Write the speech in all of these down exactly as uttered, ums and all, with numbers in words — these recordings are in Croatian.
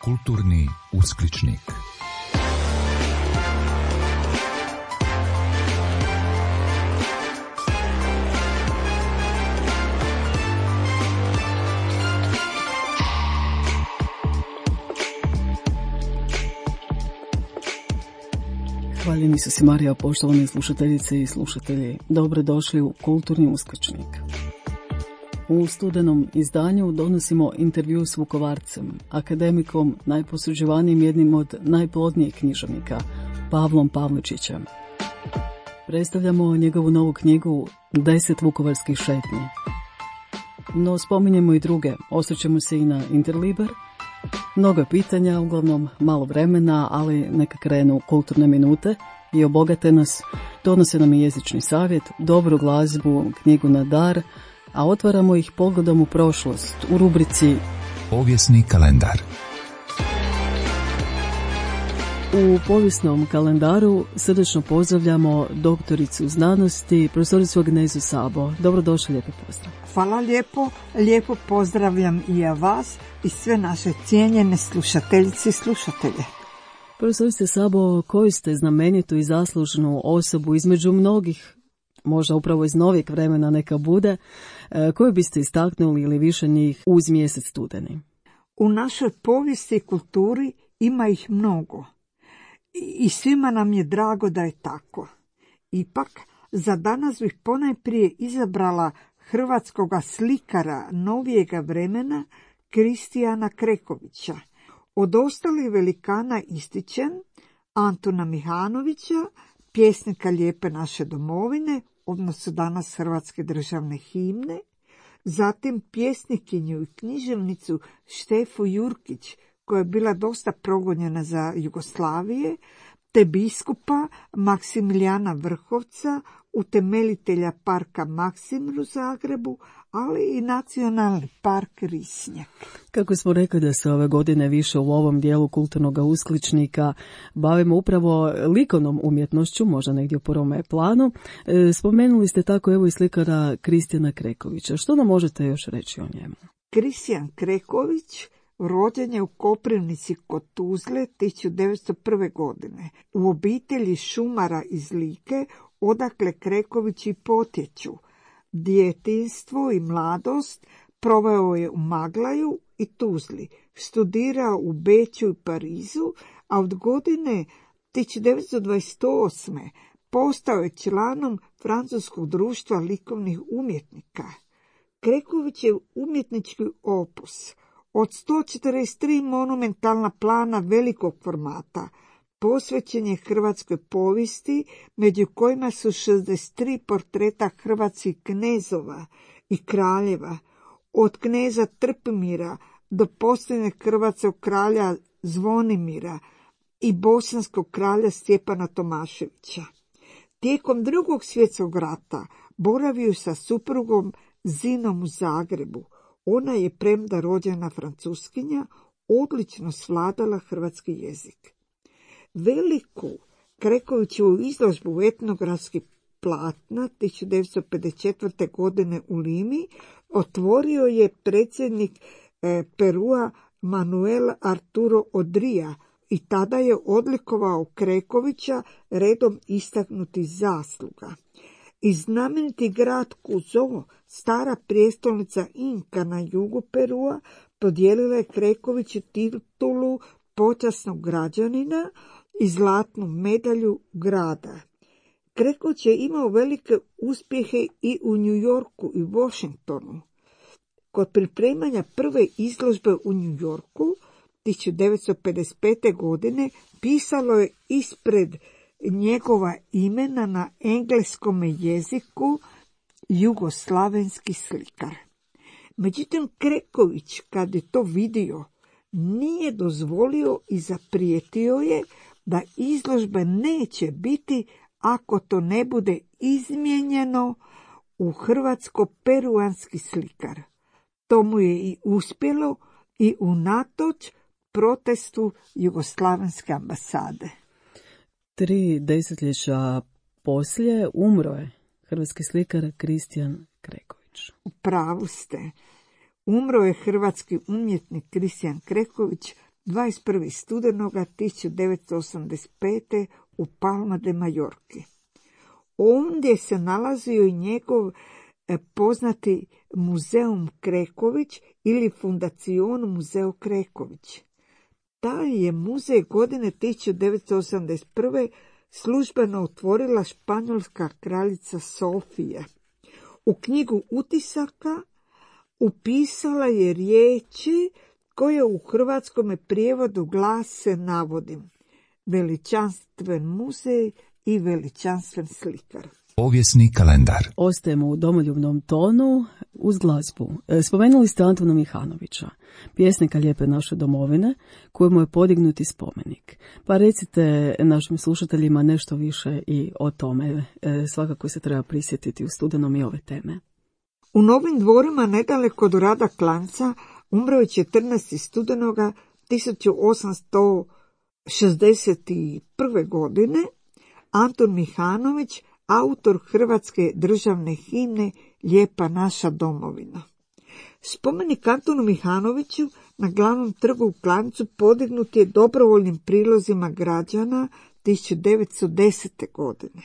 Kulturni uskličnik. Hvaljeni su si Marija, poštovane slušateljice i slušatelji. Dobrodošli u Kulturni uskličnik. U studenom izdanju donosimo intervju s Vukovarcem, akademikom, najposuđivanijim, jednim od najplodnijih književnika, Pavlom Pavličićem. Predstavljamo njegovu novu knjigu Deset vukovarskih šetnji. No spominjemo i druge, osvrćemo se i na Interliber. Mnogo pitanja, uglavnom malo vremena, ali neka krenu kulturne minute i obogate nas. Donose nam i jezični savjet, dobru glazbu, knjigu na dar, a otvaramo ih pogledom u prošlost u rubrici Povijesni kalendar. U povijesnom kalendaru srdečno pozdravljamo doktoricu znanosti, profesoricu Agnezu Sabo. Dobrodošli, lijepi pozdrav. Hvala lijepo, lijepo pozdravljam i ja vas i sve naše cijenjene slušateljice i slušatelje. Profesorice Sabo, koju ste znamenitu i zaslužnu osobu između mnogih, možda upravo iz novijeg vremena neka bude, koju biste istaknuli ili više njih uz mjesec studeni? U našoj povijesti i kulturi ima ih mnogo i svima nam je drago da je tako. Ipak, za danas bih ponajprije izabrala hrvatskoga slikara novijega vremena Kristijana Krekovića. Od ostalih velikana ističem Antuna Mihanovića, pjesnika Lijepe naše domovine, odnosno danas hrvatske državne himne, zatim pjesnikinju i književnicu Štefu Jurkić, koja je bila dosta progonjena za Jugoslavije, te biskupa Maksimilijana Vrhovca, utemeljitelja parka Maksimir u Zagrebu, ali i nacionalni park Risnjak. Kako smo rekli da se ove godine više u ovom dijelu kulturnog uskličnika bavimo upravo likovnom umjetnošću, možda negdje u prvome planu, spomenuli ste tako evo i slikara Kristijana Krekovića. Što nam možete još reći o njemu? Kristijan Kreković rođen je u Koprivnici kod Tuzle tisuću devetsto prve. godine u obitelji šumara iz Like, odakle Krekovići potječu. Djetinjstvo i mladost proveo je u Maglaju i Tuzli, studirao u Beču i Parizu, a od godine tisuću devetsto dvadeset osme. postao je članom Francuskog društva likovnih umjetnika. Kreković je umjetnički opus od sto četrdeset tri monumentalna plana velikog formata posvećen je hrvatskoj povijesti, među kojima su šezdeset tri portreta hrvatskih knezova i kraljeva, od kneza Trpimira do posljednjeg hrvatskog kralja Zvonimira i bosanskog kralja Stjepana Tomaševića. Tijekom Drugog svjetskog rata boravio sa suprugom Zinom u Zagrebu. Ona je, premda rođena Francuskinja, odlično svladala hrvatski jezik. Veliku Krekovićevu izložbu etnografskih platna tisuću devetsto pedeset četvrte. godine u Limi otvorio je predsjednik eh, Perua Manuel Arturo Odrija i tada je odlikovao Krekovića redom istaknutih zasluga. I znameniti grad Kuzo, stara prijestolnica Inka na jugu Perua, podijelila je Krekoviću titulu počasnog građanina i zlatnu medalju grada. Kreković je imao velike uspjehe i u New Yorku i Washingtonu. Kod pripremanja prve izložbe u New Yorku tisuću devetsto pedeset pete. godine pisalo je ispred njegova imena na engleskom jeziku jugoslavenski slikar. Međutim, Kreković, kad je to vidio, nije dozvolio i zaprijetio je da izložbe neće biti ako to ne bude izmijenjeno u hrvatsko-peruanski slikar. To mu je i uspjelo i unatoč protestu jugoslavenske ambasade. Tri desetljeća poslije umro je hrvatski slikar Kristijan Kreković. U pravu ste. Umro je hrvatski umjetnik Kristijan Kreković dvadeset prvog studenoga tisuću devetsto osamdeset pete u Palma de Majorki. Ondje se nalazio i njegov poznati Muzeum Kreković ili Fundacion Muzeo Kreković. Taj je muzej godine tisuću devetsto osamdeset prve službeno otvorila španjolska kraljica Sofija. U knjigu utisaka upisala je riječi koje u hrvatskom prijevodu glase, navodim, veličanstven muzej i veličanstven slikar. Povijesni kalendar. Ostajemo u domoljubnom tonu uz glazbu. Spomenuli ste Antuna Mihanovića, pjesnika Lijepe naše domovine, kojemu je podignuti spomenik. Pa recite našim slušateljima nešto više i o tome. Svakako se treba prisjetiti u studenom i ove teme. U Novim Dvorima, nedaleko od Rada Klanjca, umro je četrnaestog studenoga tisuću osamsto šezdeset prve. godine Antun Mihanović, autor hrvatske državne himne Lijepa naša domovina. Spomenik Antunu Mihanoviću na glavnom trgu u Klanjcu podignut je dobrovoljnim prilozima građana tisuću devetsto desete. godine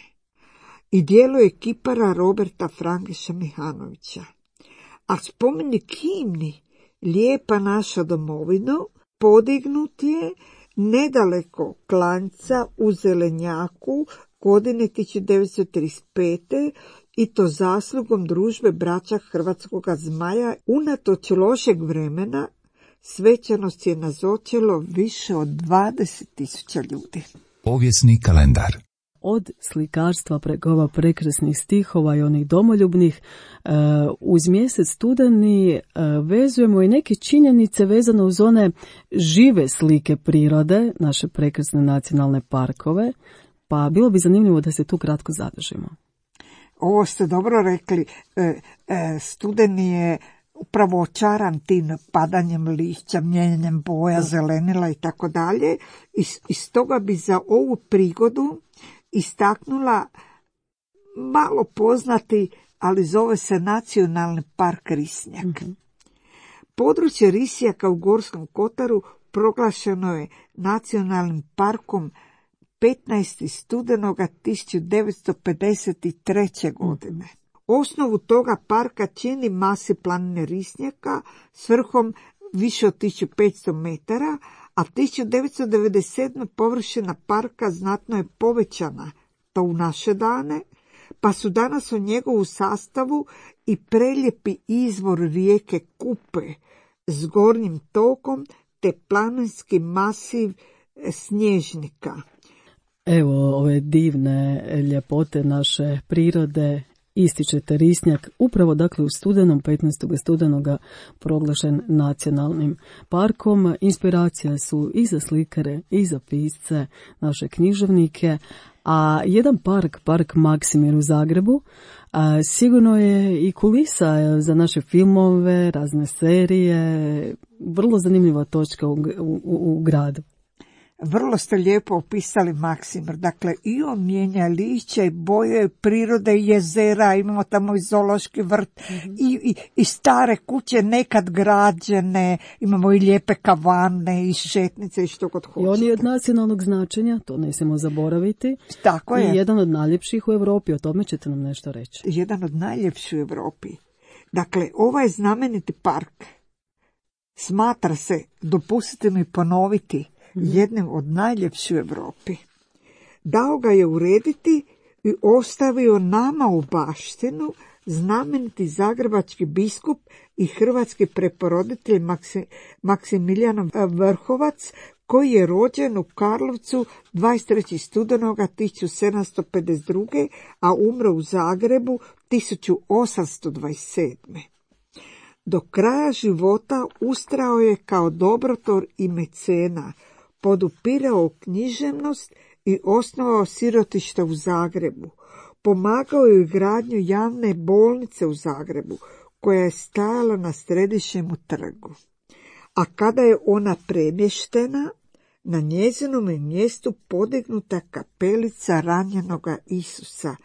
i djeluje kipara Roberta Frangeša Mihanovića. A spomenik himni Lijepa naša domovina podignut je nedaleko Klanjca u Zelenjaku godine tisuću devetsto trideset pete. i to zaslugom družbe braća Hrvatskoga zmaja. Unatoč lošeg vremena svečanost je nazočilo više od dvadeset tisuća ljudi. Povijesni kalendar. Od slikarstva preko ova prekrasnih stihova i onih domoljubnih, uz mjesec studeni vezujemo i neke činjenice vezano uz one žive slike prirode, naše prekrasne nacionalne parkove, pa bilo bi zanimljivo da se tu kratko zadržimo. Ovo ste dobro rekli, studeni je upravo očaran tim padanjem lišća, mijenjanjem boja, zelenila i tako dalje. I stoga bi za ovu prigodu istaknula malo poznati, ali zove se Nacionalni park Risnjak. Mm-hmm. Područje Risnjaka u Gorskom kotaru proglašeno je nacionalnim parkom petnaestog studenoga tisuću devetsto pedeset treće. godine. Osnovu toga parka čini masi planine Risnjaka s vrhom više od tisuću petsto metara, a tisuću devetsto devedeset sedme. površina parka znatno je povećana, to u naše dane, pa su danas u njegovu sastavu i prelijepi izvor rijeke Kupe s gornjim tokom te planinski masiv Snježnika. Evo ove divne ljepote naše prirode ističete Risnjak, upravo dakle u studenom, petnaestog studenoga proglašen nacionalnim parkom. Inspiracija su i za slikare i za pisce, naše književnike, a jedan park, park Maksimir u Zagrebu, a, sigurno je i kulisa za naše filmove, razne serije, vrlo zanimljiva točka u, u, u gradu. Vrlo ste lijepo opisali Maksimir. Dakle, i on mijenja lišća i boje prirode, jezera, imamo tamo i zoološki vrt, mm-hmm. i, i, i stare kuće nekad građene, imamo i lijepe kavane i šetnice i što god hoćete. I on je od nacionalnog značenja, to ne smijemo zaboraviti. Tako je. I jedan od najljepših u Europi, o tome ćete nam nešto reći. Jedan od najljepših u Europi. Dakle, ovaj znameniti park smatra se, dopustite mi ponoviti, jednim od najljepših u Europi. Dao ga je urediti i ostavio nama u baštinu znameniti zagrebački biskup i hrvatski preporoditelj Maksim, Maksimilijan Vrhovac, koji je rođen u Karlovcu dvadeset trećeg studenoga tisuću sedamsto pedeset druge. a umro u Zagrebu tisuću osamsto dvadeset sedme. Do kraja života ustrao je kao dobrotvor i mecena, podupirao književnost i osnovao sirotište u Zagrebu. Pomagao je gradnju javne bolnice u Zagrebu, koja je stajala na središnjem trgu. A kada je ona premještena, na njezinom je mjestu podignuta kapelica ranjenoga Isusa,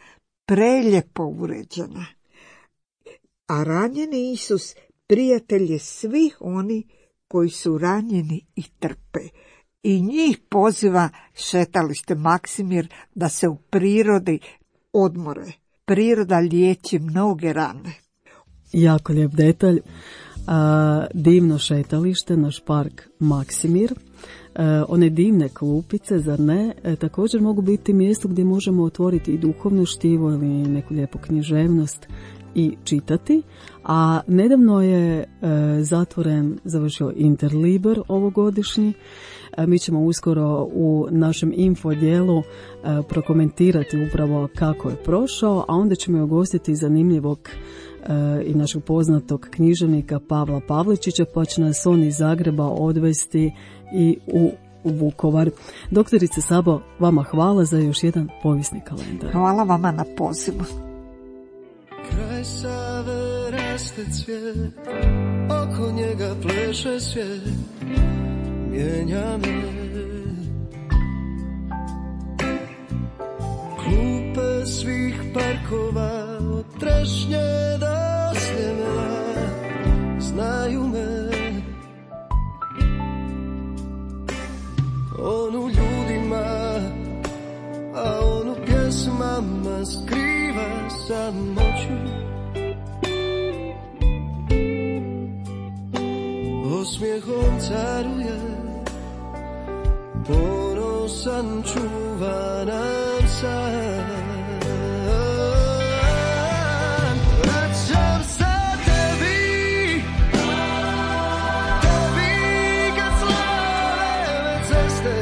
prelijepo uređena. A ranjeni Isus prijatelj je svih oni koji su ranjeni i trpe. I njih poziva šetalište Maksimir da se u prirodi odmore. Priroda liječi mnoge rane. Jako lijep detalj. A, divno šetalište, naš park Maksimir. E, one divne klupice, zar ne, e, također mogu biti mjesto gdje možemo otvoriti i duhovno štivo ili neku lijepu književnost i čitati. A nedavno je e, zatvoren, završio Interliber ovogodišnji. E, mi ćemo uskoro u našem info dijelu e, prokomentirati upravo kako je prošao, a onda ćemo ugostiti zanimljivog e, i našeg poznatog književnika Pavla Pavličića, pa će nas on iz Zagreba odvesti i u, u Vukovar. Doktorice Sabo, vama hvala za još jedan povijesni kalendar. Hvala vama na pozivu. Kraj Save raste cvijet, oko njega pleše svijet, mijenja me. Klupe svih parkova, od trešnje do sjemena, znaju me. On u ljudima, a on u pjesmama skriva samoću. Osmijehom caruje, ponosan čuva nam san. Vraćam se tebi, tebi kad slave ceste.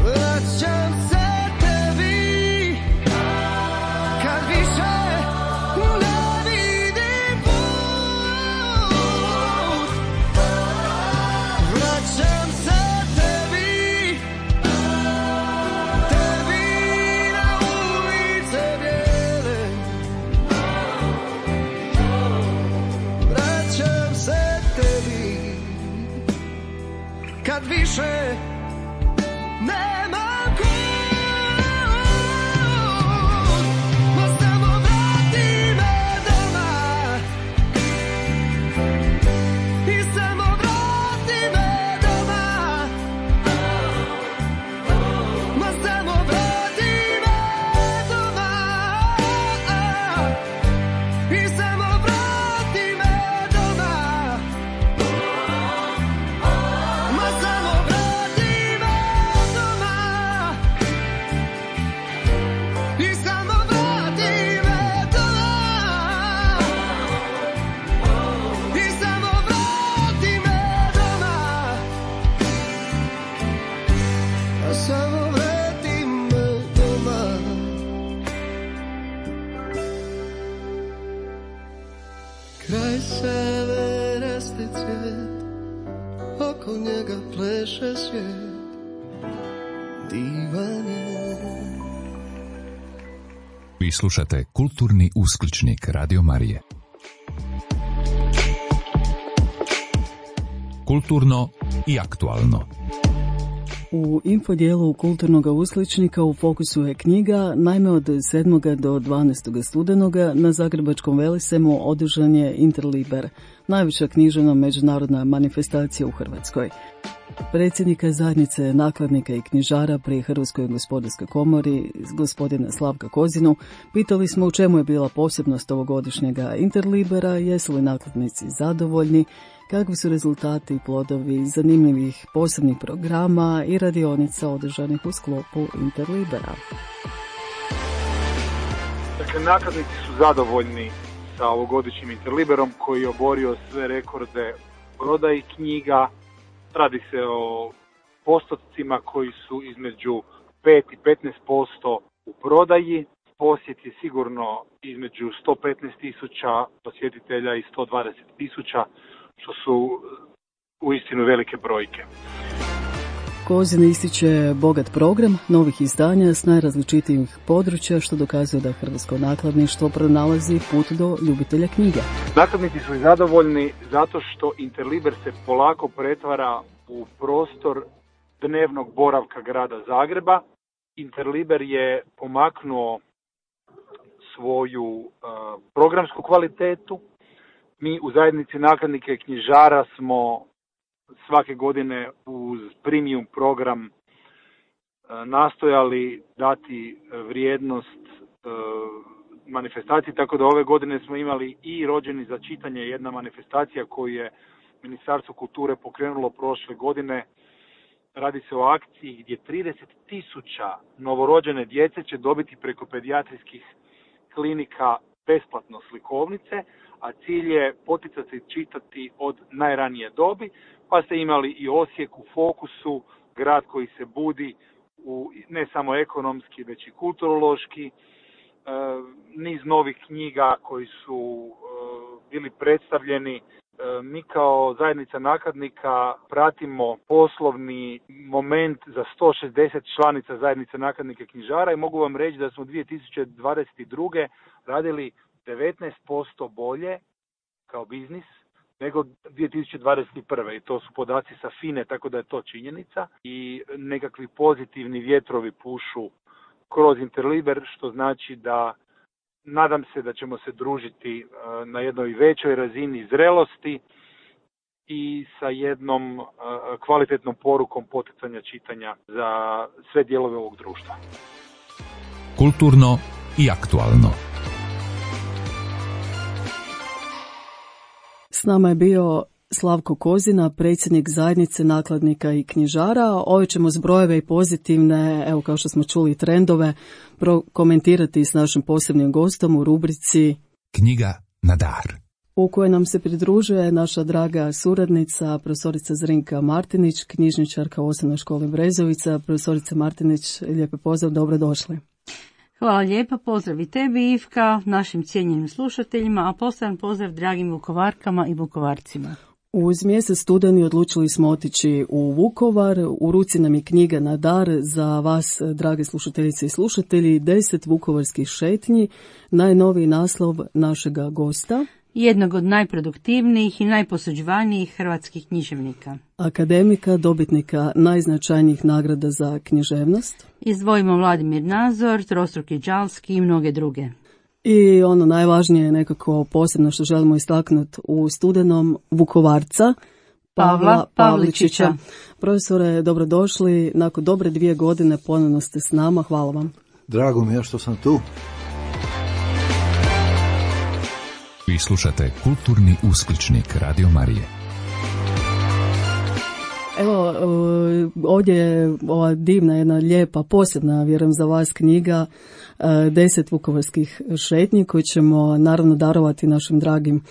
Vraćam se tebi, kad više ne vidim put. Vraćam se tebi, tebi na ulice bijele. Vraćam se tebi, kad više nema kud. Ma samo vrati me doma, i samo vrati me doma. Ma samo vrati me doma, i samo vrati me doma. Ma samo vrati me doma, i samo vrati me doma. I samo vrati me doma, a samo vrati me doma. Kraj Save raste cvijet, oko njega pleše svijet, divan je. Vi slušate Kulturni uskličnik Radio Marije. Kulturno i aktualno. U infodijelu Kulturnog uskličnika u fokusu je knjiga. Naime, od sedmog do dvanaestog studenoga na Zagrebačkom Velisemu održan je Interliber, najveća književna međunarodna manifestacija u Hrvatskoj. Predsjednika zajednice nakladnika i knjižara pri Hrvatskoj gospodarskoj komori, gospodina Slavka Kozinu, pitali smo u čemu je bila posebnost ovogodišnjega Interlibera, jesu li nakladnici zadovoljni, kakvi su rezultati i plodovi zanimljivih posebnih programa i radionica održanih u sklopu Interlibera. Dakle, nakladnici su zadovoljni sa ovogodišnjim Interliberom koji je oborio sve rekorde prodaji knjiga. Radi se o postotcima koji su između pet i petnaest posto u prodaji. Posjet je sigurno između sto petnaest tisuća posjetitelja i sto dvadeset tisuća, što su uistinu velike brojke. Kozin ističe bogat program novih izdanja s najrazličitijih područja, što dokazuje da hrvatsko nakladništvo pronalazi put do ljubitelja knjiga. Nakladnici su zadovoljni zato što Interliber se polako pretvara u prostor dnevnog boravka grada Zagreba. Interliber je pomaknuo svoju uh, programsku kvalitetu, Mi u zajednici nakladnika i knjižara smo svake godine uz premium program nastojali dati vrijednost manifestaciji, tako da ove godine smo imali i Rođeni za čitanje, jedna manifestacija koju je Ministarstvo kulture pokrenulo prošle godine. Radi se o akciji gdje trideset tisuća novorođene djece će dobiti preko pedijatrijskih klinika besplatno slikovnice, a cilj je poticati čitati od najranije dobi, pa ste imali i Osijek u fokusu, grad koji se budi u, ne samo ekonomski, već i kulturološki, e, niz novih knjiga koji su e, bili predstavljeni. E, mi kao zajednica nakladnika pratimo poslovni moment za sto šezdeset članica zajednice nakladnika knjižara i mogu vam reći da smo dvije tisuće dvadeset druge radili devetnaest posto bolje kao biznis nego dvije tisuće dvadeset prve. I to su podaci sa FINE, tako da je to činjenica. I nekakvi pozitivni vjetrovi pušu kroz Interliber, što znači da nadam se da ćemo se družiti na jednoj većoj razini zrelosti i sa jednom kvalitetnom porukom poticanja čitanja za sve dijelove ovog društva. Kulturno i aktualno. S nama je bio Slavko Kozina, predsjednik zajednice nakladnika i knjižara. Ove ćemo zbrojeve i pozitivne, evo kao što smo čuli, trendove, komentirati s našim posebnim gostom u rubrici Knjiga na dar, u kojoj nam se pridružuje naša draga suradnica, profesorica Zrinka Martinić, knjižničarka u Osnovnoj školi Brezovica. Profesorica Martinić, lijepi pozdrav, dobrodošli. Hvala lijepa, pozdrav i tebi, Ivka, našim cijenjenim slušateljima, a poseban pozdrav dragim Vukovarkama i Vukovarcima. Uz mjesec studeni odlučili smo otići u Vukovar. U ruci nam je knjiga na dar za vas, drage slušateljice i slušatelji, deset vukovarskih šetnji, najnoviji naslov našega gosta. Jednog od najproduktivnijih i najposuđivanijih hrvatskih književnika. Akademika, dobitnika najznačajnijih nagrada za književnost. Izdvojimo Vladimir Nazor, Trostruki Đalski i mnoge druge. I ono najvažnije nekako posebno što želimo istaknuti u studenom, Vukovarca, Pavla, Pavla Pavličića. Pavličića. Profesore, dobrodošli. Nakon dobre dvije godine ponovno ste s nama. Hvala vam. Drago mi je što sam tu. Vi slušate Kulturni uskličnik Radio Marije. Evo, ovdje je ova divna, jedna lijepa, posebna, vjerujem za vas, knjiga deset vukovarskih šetnji koji ćemo naravno darovati našim dragim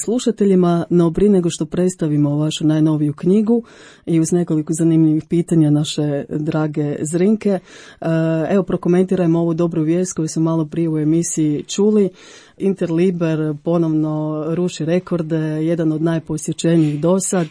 slušateljima, no prije nego što predstavimo vašu najnoviju knjigu i uz nekoliko zanimljivih pitanja naše drage Zrinke, evo prokomentirajmo ovu dobru vijest koju smo malo prije u emisiji čuli. Interliber ponovno ruši rekorde, jedan od najposjećenijih do sad.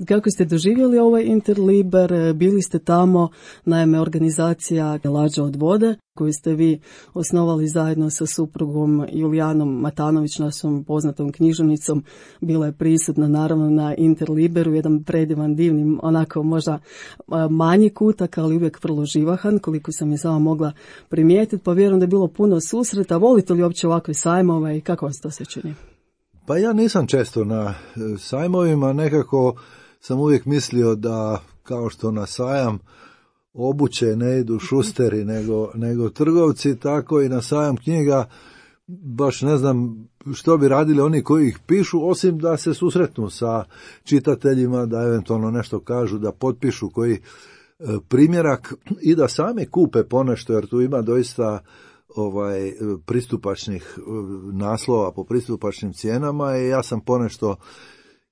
Kako ste doživjeli ovaj Interliber? Bili ste tamo, naime organizacija Lađa od vode, koju ste vi osnovali zajedno sa suprugom Julijanom Matanović, našom poznatom književnicom, bila je prisutna naravno na Interliberu, jedan predivan, divni, onako možda manji kutak, ali uvijek vrlo živahan, koliko sam je sama mogla primijetiti, pa vjerujem da je bilo puno susreta. Volite li uopće ovakve sajmove i kako vam se to sve čini? Pa ja nisam često na sajmovima, nekako sam uvijek mislio da kao što na sajam obuće ne idu šusteri nego, nego trgovci, tako i na sajam knjiga baš ne znam što bi radili oni koji ih pišu, osim da se susretnu sa čitateljima, da eventualno nešto kažu, da potpišu koji e, primjerak i da sami kupe ponešto, jer tu ima doista ovaj pristupačnih naslova po pristupačnim cijenama i ja sam ponešto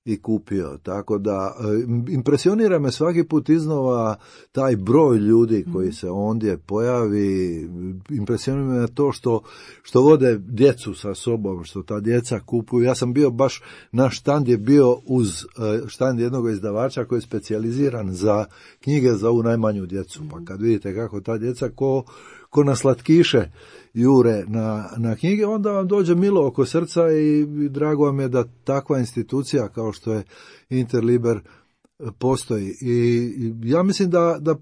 i kupio, tako da impresionira me svaki put iznova taj broj ljudi koji se ondje pojavi, impresionira me to što, što vode djecu sa sobom, što ta djeca kupuju. Ja sam bio baš, naš štand je bio uz štand jednog izdavača koji je specijaliziran za knjige za ovu najmanju djecu, pa kad vidite kako ta djeca ko, ko na slatkiše jure na, na knjige, onda vam dođe milo oko srca i, i drago vam je da takva institucija kao što je Interliber postoji. I, i ja mislim da, da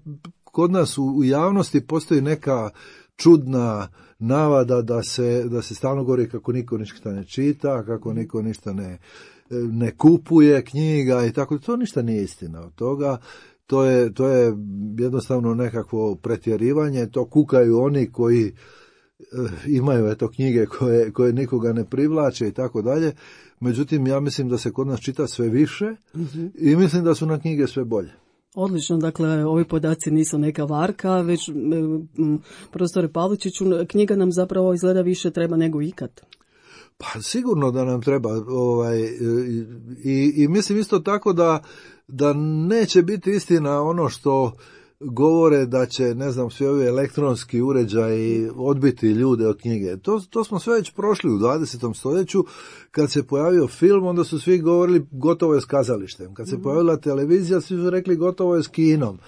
kod nas u, u javnosti postoji neka čudna navada da se, da se stalno govori kako niko ništa ne čita, kako niko ništa ne, ne kupuje knjiga i tako. To ništa nije istina od toga. To je, to je jednostavno nekakvo pretjerivanje. To kukaju oni koji imaju eto knjige koje, koje nikoga ne privlače i tako dalje. Međutim, ja mislim da se kod nas čita sve više mm-hmm. i mislim da su na knjige sve bolje. Odlično, dakle, ovi podaci nisu neka varka, već profesore Pavličiću, knjiga nam zapravo izgleda više treba nego ikad. Pa sigurno da nam treba, ovaj, i, i mislim isto tako da, da neće biti istina ono što govore da će, ne znam, svi ovi elektronski uređaji odbiti ljude od knjige. To, to smo sve već prošli u dvadesetom stoljeću. Kad se pojavio film, onda su svi govorili gotovo je s kazalištem. Kad se pojavila televizija, svi su rekli gotovo je s kinom.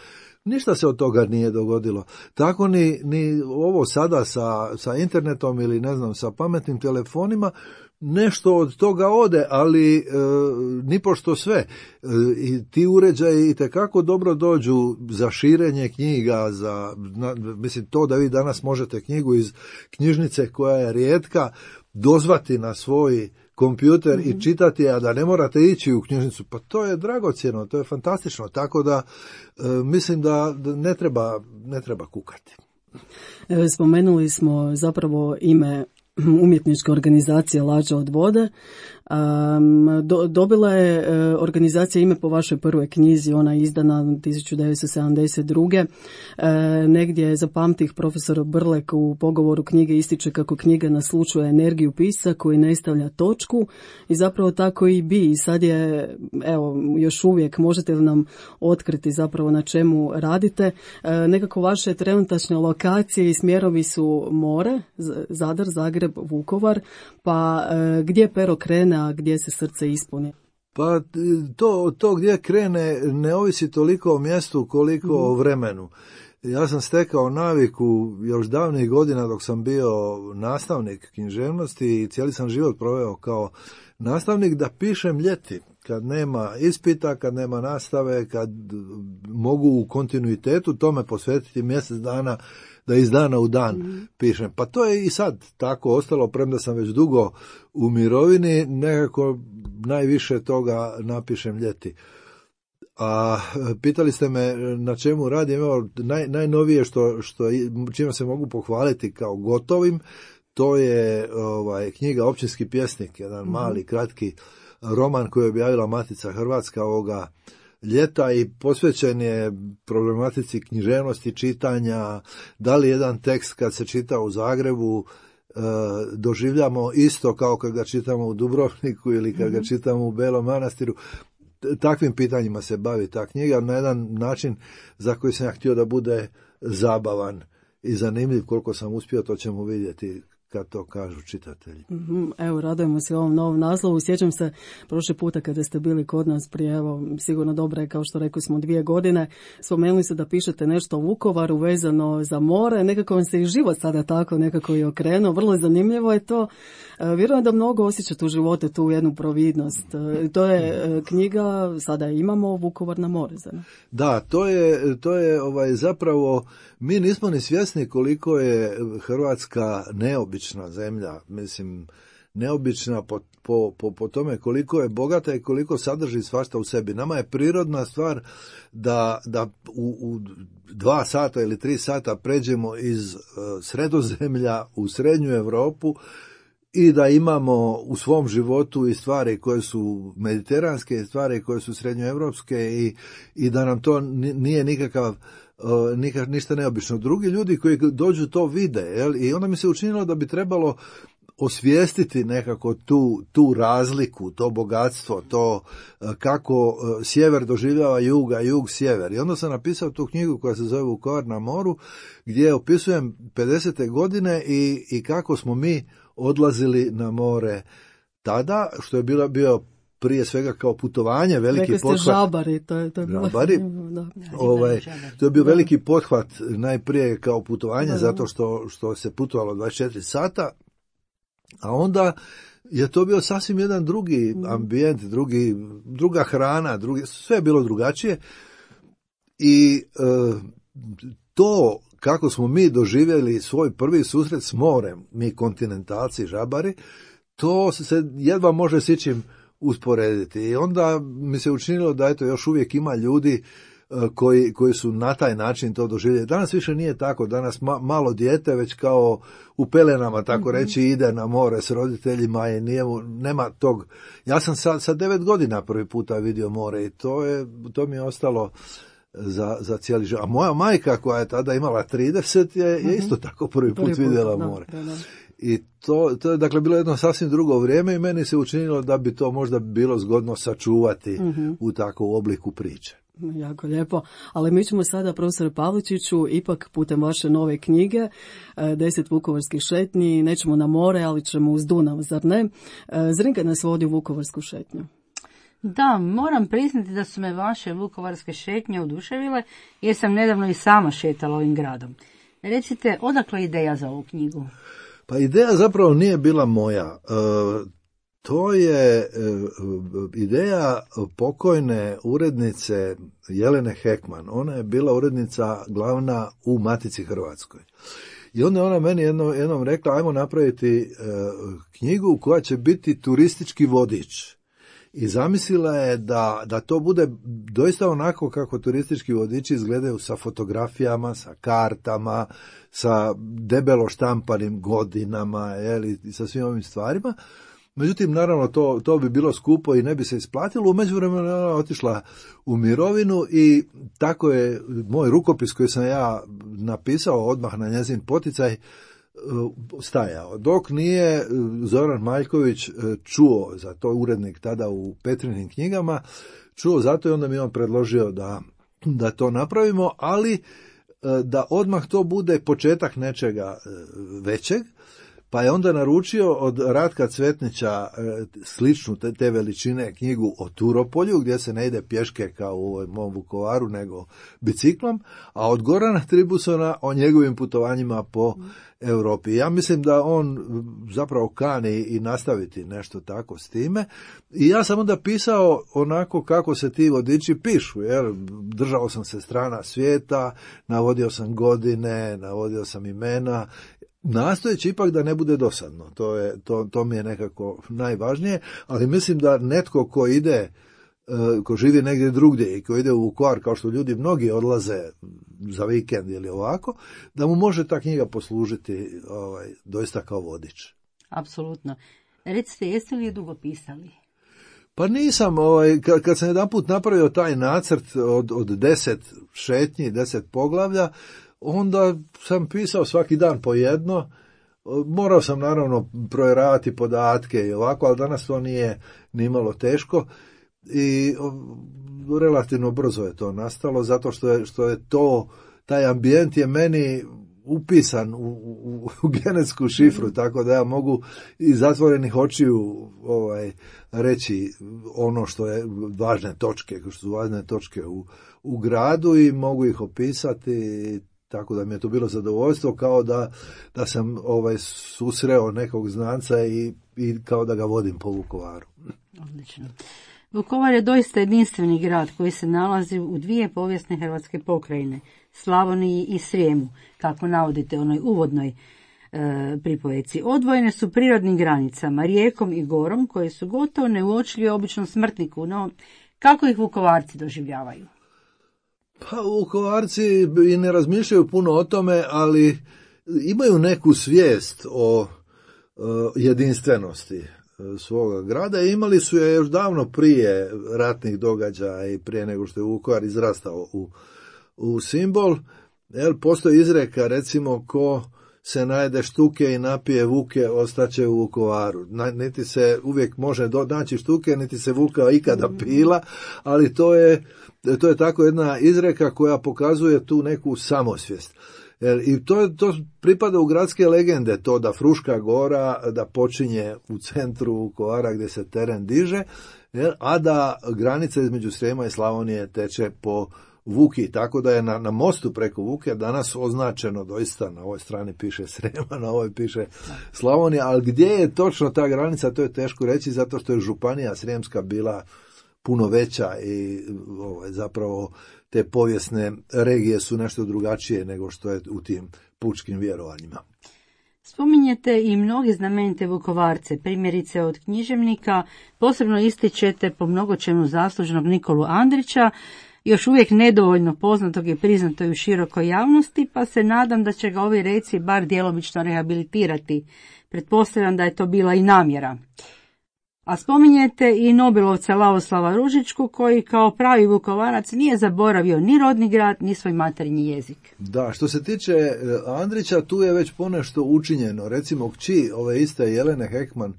Ništa se od toga nije dogodilo. Tako ni, ni ovo sada sa, sa internetom ili ne znam, sa pametnim telefonima, nešto od toga ode, ali e, nipošto sve. E, I ti uređaji itekako dobro dođu za širenje knjiga, za, na, mislim, to da vi danas možete knjigu iz knjižnice koja je rijetka dozvati na svoj kompjuter mm-hmm. i čitati, a da ne morate ići u knjižnicu, pa to je dragocjeno, to je fantastično, tako da e, mislim da ne treba, ne treba kukati. Spomenuli smo zapravo ime umjetničke organizacije Lađa od vode. Um, do, dobila je uh, organizacija ime po vašoj prvoj knjizi, ona je izdana tisuću devetsto sedamdeset druge. Uh, negdje zapamtih profesor Brlek u pogovoru knjige ističe kako knjiga naslučuje energiju pisca koji ne stavlja točku i zapravo tako i bi. I sad je, evo, još uvijek možete li nam otkriti zapravo na čemu radite. Uh, nekako vaše trenutačne lokacije i smjerovi su more, Zadar, Zagreb, Vukovar, pa uh, gdje pero krene, a gdje se srce ispuni? Pa to, to gdje krene ne ovisi toliko o mjestu koliko mm-hmm. o vremenu. Ja sam stekao naviku još davnih godina dok sam bio nastavnik književnosti i cijeli sam život proveo kao nastavnik da pišem ljeti. Kad nema ispita, kad nema nastave, kad mogu u kontinuitetu tome posvetiti mjesec dana da iz dana u dan mm. pišem. Pa to je i sad tako ostalo, premda sam već dugo u mirovini, nekako najviše toga napišem ljeti. A pitali ste me na čemu radim, evo, naj, najnovije što, što čime se mogu pohvaliti kao gotovim, to je ovaj, knjiga Općinski pjesnik, jedan mm. mali, kratki roman koji je objavila Matica Hrvatska ovoga ljeta i posvećen je problematici književnosti, čitanja, da li jedan tekst kad se čita u Zagrebu e, doživljamo isto kao kad ga čitamo u Dubrovniku ili kad ga čitamo u Belom Manastiru. Takvim pitanjima se bavi ta knjiga na jedan način za koji sam ja htio da bude zabavan i zanimljiv. Koliko sam uspio, to ćemo vidjeti kad to kažu čitatelji. Mm-hmm. Evo, radujemo se ovom novom naslovu. Sjećam se prošli puta kada ste bili kod nas prije, evo, sigurno dobro je, kao što rekli smo, dvije godine. Spomenuli ste da pišete nešto o Vukovaru vezano za more. Nekako vam se i život sada tako nekako i okrenuo. Vrlo zanimljivo je to. Vjerujem da mnogo osjećate u životu tu jednu providnost. To je knjiga, sada imamo Vukovar na more. Zna? Da, to je, to je ovaj, zapravo, mi nismo ni svjesni koliko je Hrvatska neobična zemlja, mislim, neobična po, po, po, po tome koliko je bogata i koliko sadrži svašta u sebi. Nama je prirodna stvar da, da u, u dva sata ili tri sata pređemo iz uh, Sredozemlja u Srednju Europu i da imamo u svom životu i stvari koje su mediteranske i stvari koje su srednjoevropske i, i da nam to nije nikakav Uh, nikak, ništa neobično. Drugi ljudi koji dođu to vide, jel? I onda mi se učinilo da bi trebalo osvijestiti nekako tu, tu razliku, to bogatstvo, to uh, kako uh, sjever doživljava jug, a jug sjever. I onda sam napisao tu knjigu koja se zove Vukovar na moru, gdje opisujem pedesete godine i, i kako smo mi odlazili na more tada, što je bilo, bio prije svega kao putovanje, veliki Rekli ste pothvat. žabari, to je, to je bilo... Žabari, da. ovaj, to je bio veliki pothvat najprije kao putovanje, da, zato što, što se putovalo dvadeset četiri sata, a onda je to bio sasvim jedan drugi ambijent, drugi, druga hrana, drugi, sve je bilo drugačije i e, to kako smo mi doživjeli svoj prvi susret s morem, mi kontinentalci, žabari, to se jedva može s ičim usporediti. I onda mi se učinilo da eto još uvijek ima ljudi koji, koji su na taj način to doživjeli. Danas više nije tako, danas ma, malo dijete već kao u pelenama, tako mm-hmm. reći, ide na more s roditeljima i nije, nema tog. Ja sam sa, sa devet godina prvi puta vidio more i to, je, to mi je ostalo za, za cijeli život. A moja majka koja je tada imala trideset je, mm-hmm. je isto tako prvi put, prvi put vidjela da, more. Da, da. I to, to je dakle bilo jedno sasvim drugo vrijeme i meni se učinilo da bi to možda bilo zgodno sačuvati mm-hmm. u takvom obliku priče. Jako lijepo, ali mi ćemo sada, profesor Pavličiću, ipak putem vaše nove knjige, deset vukovarskih šetnji, nećemo na more, ali ćemo uz Dunav, zar ne? Zrinka nas vodi u vukovarsku šetnju. Da, moram priznati da su me vaše vukovarske šetnje oduševile, jer sam nedavno i sama šetala ovim gradom. Recite, odakle ideja za ovu knjigu? Pa ideja zapravo nije bila moja. E, to je e, ideja pokojne urednice Jelene Hekman. Ona je bila urednica glavna u Matici Hrvatskoj. I onda ona meni jedno, jednom rekla, ajmo napraviti e, knjigu koja će biti turistički vodič. I zamislila je da, da to bude doista onako kako turistički vodiči izgledaju, sa fotografijama, sa kartama, sa debelo štampanim godinama, jeli, i sa svim ovim stvarima. Međutim, naravno, to, to bi bilo skupo i ne bi se isplatilo. U međuvremenu ona otišla u mirovinu i tako je moj rukopis koji sam ja napisao odmah na njezin poticaj stajao. Dok nije Zoran Maljković čuo, za to urednik tada u Petrinim knjigama, čuo zato i onda mi on predložio da, da to napravimo, ali da odmah to bude početak nečega većeg, pa je onda naručio od Ratka Cvetnića sličnu te, te veličine knjigu o Turopolju, gdje se ne ide pješke kao u mom Vukovaru, nego biciklom, a od Gorana Tribusona o njegovim putovanjima po Europi. Ja mislim da on zapravo kani i nastaviti nešto tako s time. I ja sam onda pisao onako kako se ti vodiči pišu, jer držao sam se strana svijeta, navodio sam godine, navodio sam imena, nastojeći ipak da ne bude dosadno. To, je, to, to mi je nekako najvažnije, ali mislim da netko ko ide, ko živi negdje drugdje i ko ide u Vukovar, kao što ljudi mnogi odlaze za vikend ili ovako, da mu može ta knjiga poslužiti ovaj, doista kao vodič. Apsolutno. Recite, jeste li je dugo pisali? Pa nisam, ovaj, kad, kad sam jedan put napravio taj nacrt od, od deset šetnji, deset poglavlja, onda sam pisao svaki dan po jedno. Morao sam naravno provjeravati podatke i ovako, ali danas to nije nimalo teško i relativno brzo je to nastalo, zato što je, što je to, taj ambijent je meni upisan u, u, u genetsku šifru, tako da ja mogu iz zatvorenih očiju ovaj, reći ono što je važne točke, što su važne točke u, u gradu i mogu ih opisati. Tako da mi je to bilo zadovoljstvo, kao da, da sam ovaj, susreo nekog znanca i, i kao da ga vodim po Vukovaru. Odlično. Vukovar je doista jedinstveni grad koji se nalazi u dvije povijesne hrvatske pokrajine, Slavoniji i Srijemu, kako navodite u onoj uvodnoj e, pripovjeci. Odvojene su prirodnim granicama, rijekom i gorom, koje su gotovo neuočljive običnom smrtniku, no kako ih Vukovarci doživljavaju? Pa Vukovarci i ne razmišljaju puno o tome, ali imaju neku svijest o, o jedinstvenosti svoga grada i imali su je još davno prije ratnih događaja i prije nego što je Vukovar izrastao u, u simbol. Jer postoji izreka, recimo, ko se najede štuke i napije vuke, ostaće u Vukovaru. Niti se uvijek može naći štuke, niti se vuka ikada pila, ali to je To je tako jedna izreka koja pokazuje tu neku samosvijest. I to, to pripada u gradske legende, to da Fruška gora da počinje u centru Vukovara gdje se teren diže, a da granica između Srijema i Slavonije teče po Vuki, tako da je na, na mostu preko Vuke danas označeno, doista na ovoj strani piše Srijema, na ovoj piše Slavonija, ali gdje je točno ta granica, to je teško reći, zato što je županija Srijemska bila puno veća i ovaj, zapravo te povijesne regije su nešto drugačije nego što je u tim pučkim vjerovanjima. Spominjete i mnogi znamenite Vukovarce, primjerice od književnika, posebno ističete po mnogo čemu zaslužnog Nikolu Andrića, još uvijek nedovoljno poznatog i priznatoj u širokoj javnosti, pa se nadam da će ga ovi reci bar djelomično rehabilitirati. Pretpostavljam da je to bila i namjera. A spominjete i Nobelovca Lavoslava Ružičku, koji kao pravi Vukovarac nije zaboravio ni rodni grad, ni svoj materinji jezik. Da, što se tiče Andrića, tu je već ponešto učinjeno. Recimo, kći ove iste Jelene Hekman,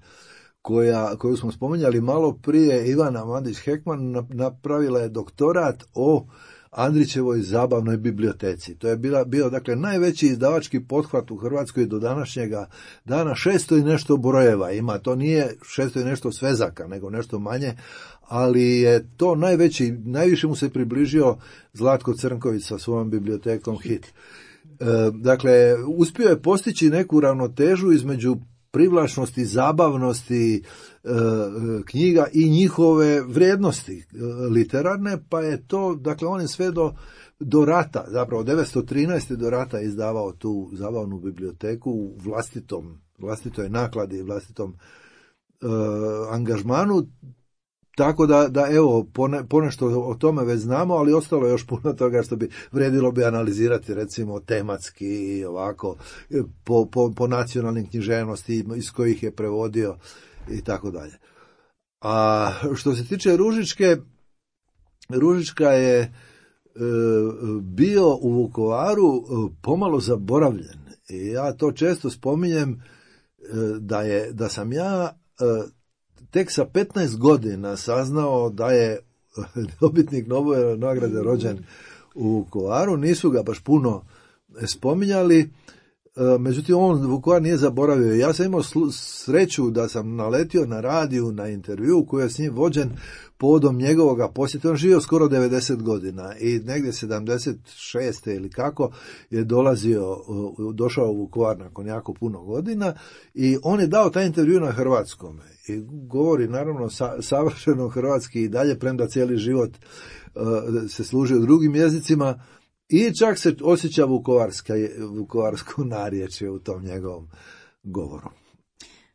koja, koju smo spominjali malo prije, Ivana Mandić-Hekman, napravila je doktorat o Andrićevoj zabavnoj biblioteci. To je bila, bio dakle najveći izdavački pothvat u Hrvatskoj do današnjega dana. Šesto i nešto brojeva ima, to nije šesto i nešto svezaka, nego nešto manje, ali je to najveći, najviše mu se približio Zlatko Crnković sa svojom bibliotekom Hit. E, dakle, uspio je postići neku ravnotežu između privlačnosti, zabavnosti e, knjiga i njihove vrijednosti e, literarne, pa je to, dakle, on je sve do, do rata, zapravo devetsto trinaeste do rata izdavao tu zabavnu biblioteku u vlastitom, vlastitoj nakladi, vlastitom e, angažmanu, tako da, da evo, pone, ponešto o tome već znamo, ali ostalo je još puno toga što bi vrijedilo bi analizirati, recimo tematski, ovako, po, po, po nacionalnim književnosti iz kojih je prevodio i tako dalje. A što se tiče Ružičke, Ružička je e, bio u Vukovaru e, pomalo zaboravljen. I ja to često spominjem e, da, je, da sam ja e, tek sa petnaest godina saznao da je dobitnik Nobelove nagrade rođen u Vukovaru. Nisu ga baš puno spominjali, međutim on Vukovar nije zaboravio. Ja sam imao sreću da sam naletio na radiju, na intervju koji je s njim vođen povodom njegovoga posjeta. On živio skoro devedeset godina i negdje sedamdeset šeste ili kako je dolazio, došao u Vukovar nakon jako puno godina i on je dao taj intervju na hrvatskom. I govori naravno sa, savršeno hrvatski i dalje, premda cijeli život uh, se služi u drugim jezicima i čak se osjeća vukovarska, vukovarsko narječje u tom njegovom govoru.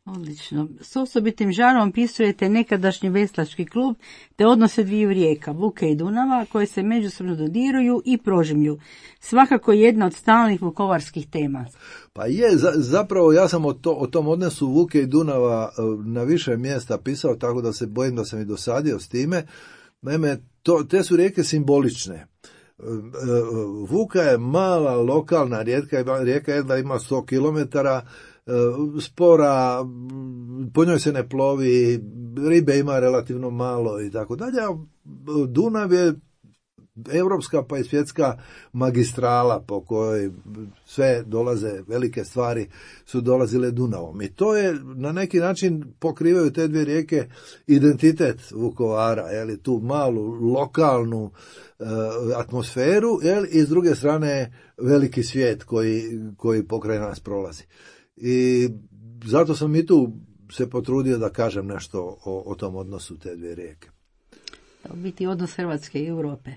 Odlično. S osobitim žarom opisujete nekadašnji veslački klub te odnose dviju rijeka, Vuke i Dunava, koje se međusobno dodiruju i prožimlju. Svakako jedna od stalnih vukovarskih tema. Pa je, za, zapravo ja sam o, to, o tom odnosu Vuke i Dunava na više mjesta pisao, tako da se bojim da sam i dosadio s time. Naime, to, te su rijeke simbolične. Vuka je mala lokalna rijeka, rijeka jedna ima sto kilometara, spora, po njoj se ne plovi, ribe ima relativno malo i tako dalje. Dunav je europska pa i svjetska magistrala po kojoj sve dolaze, velike stvari su dolazile Dunavom. I to je na neki način pokrivaju te dvije rijeke identitet Vukovara, jeli, tu malu lokalnu uh, atmosferu, jeli, i s druge strane veliki svijet koji, koji pokraj nas prolazi. I zato sam i tu se potrudio da kažem nešto o, o tom odnosu te dvije rijeke. To biti odnos Hrvatske i Europe.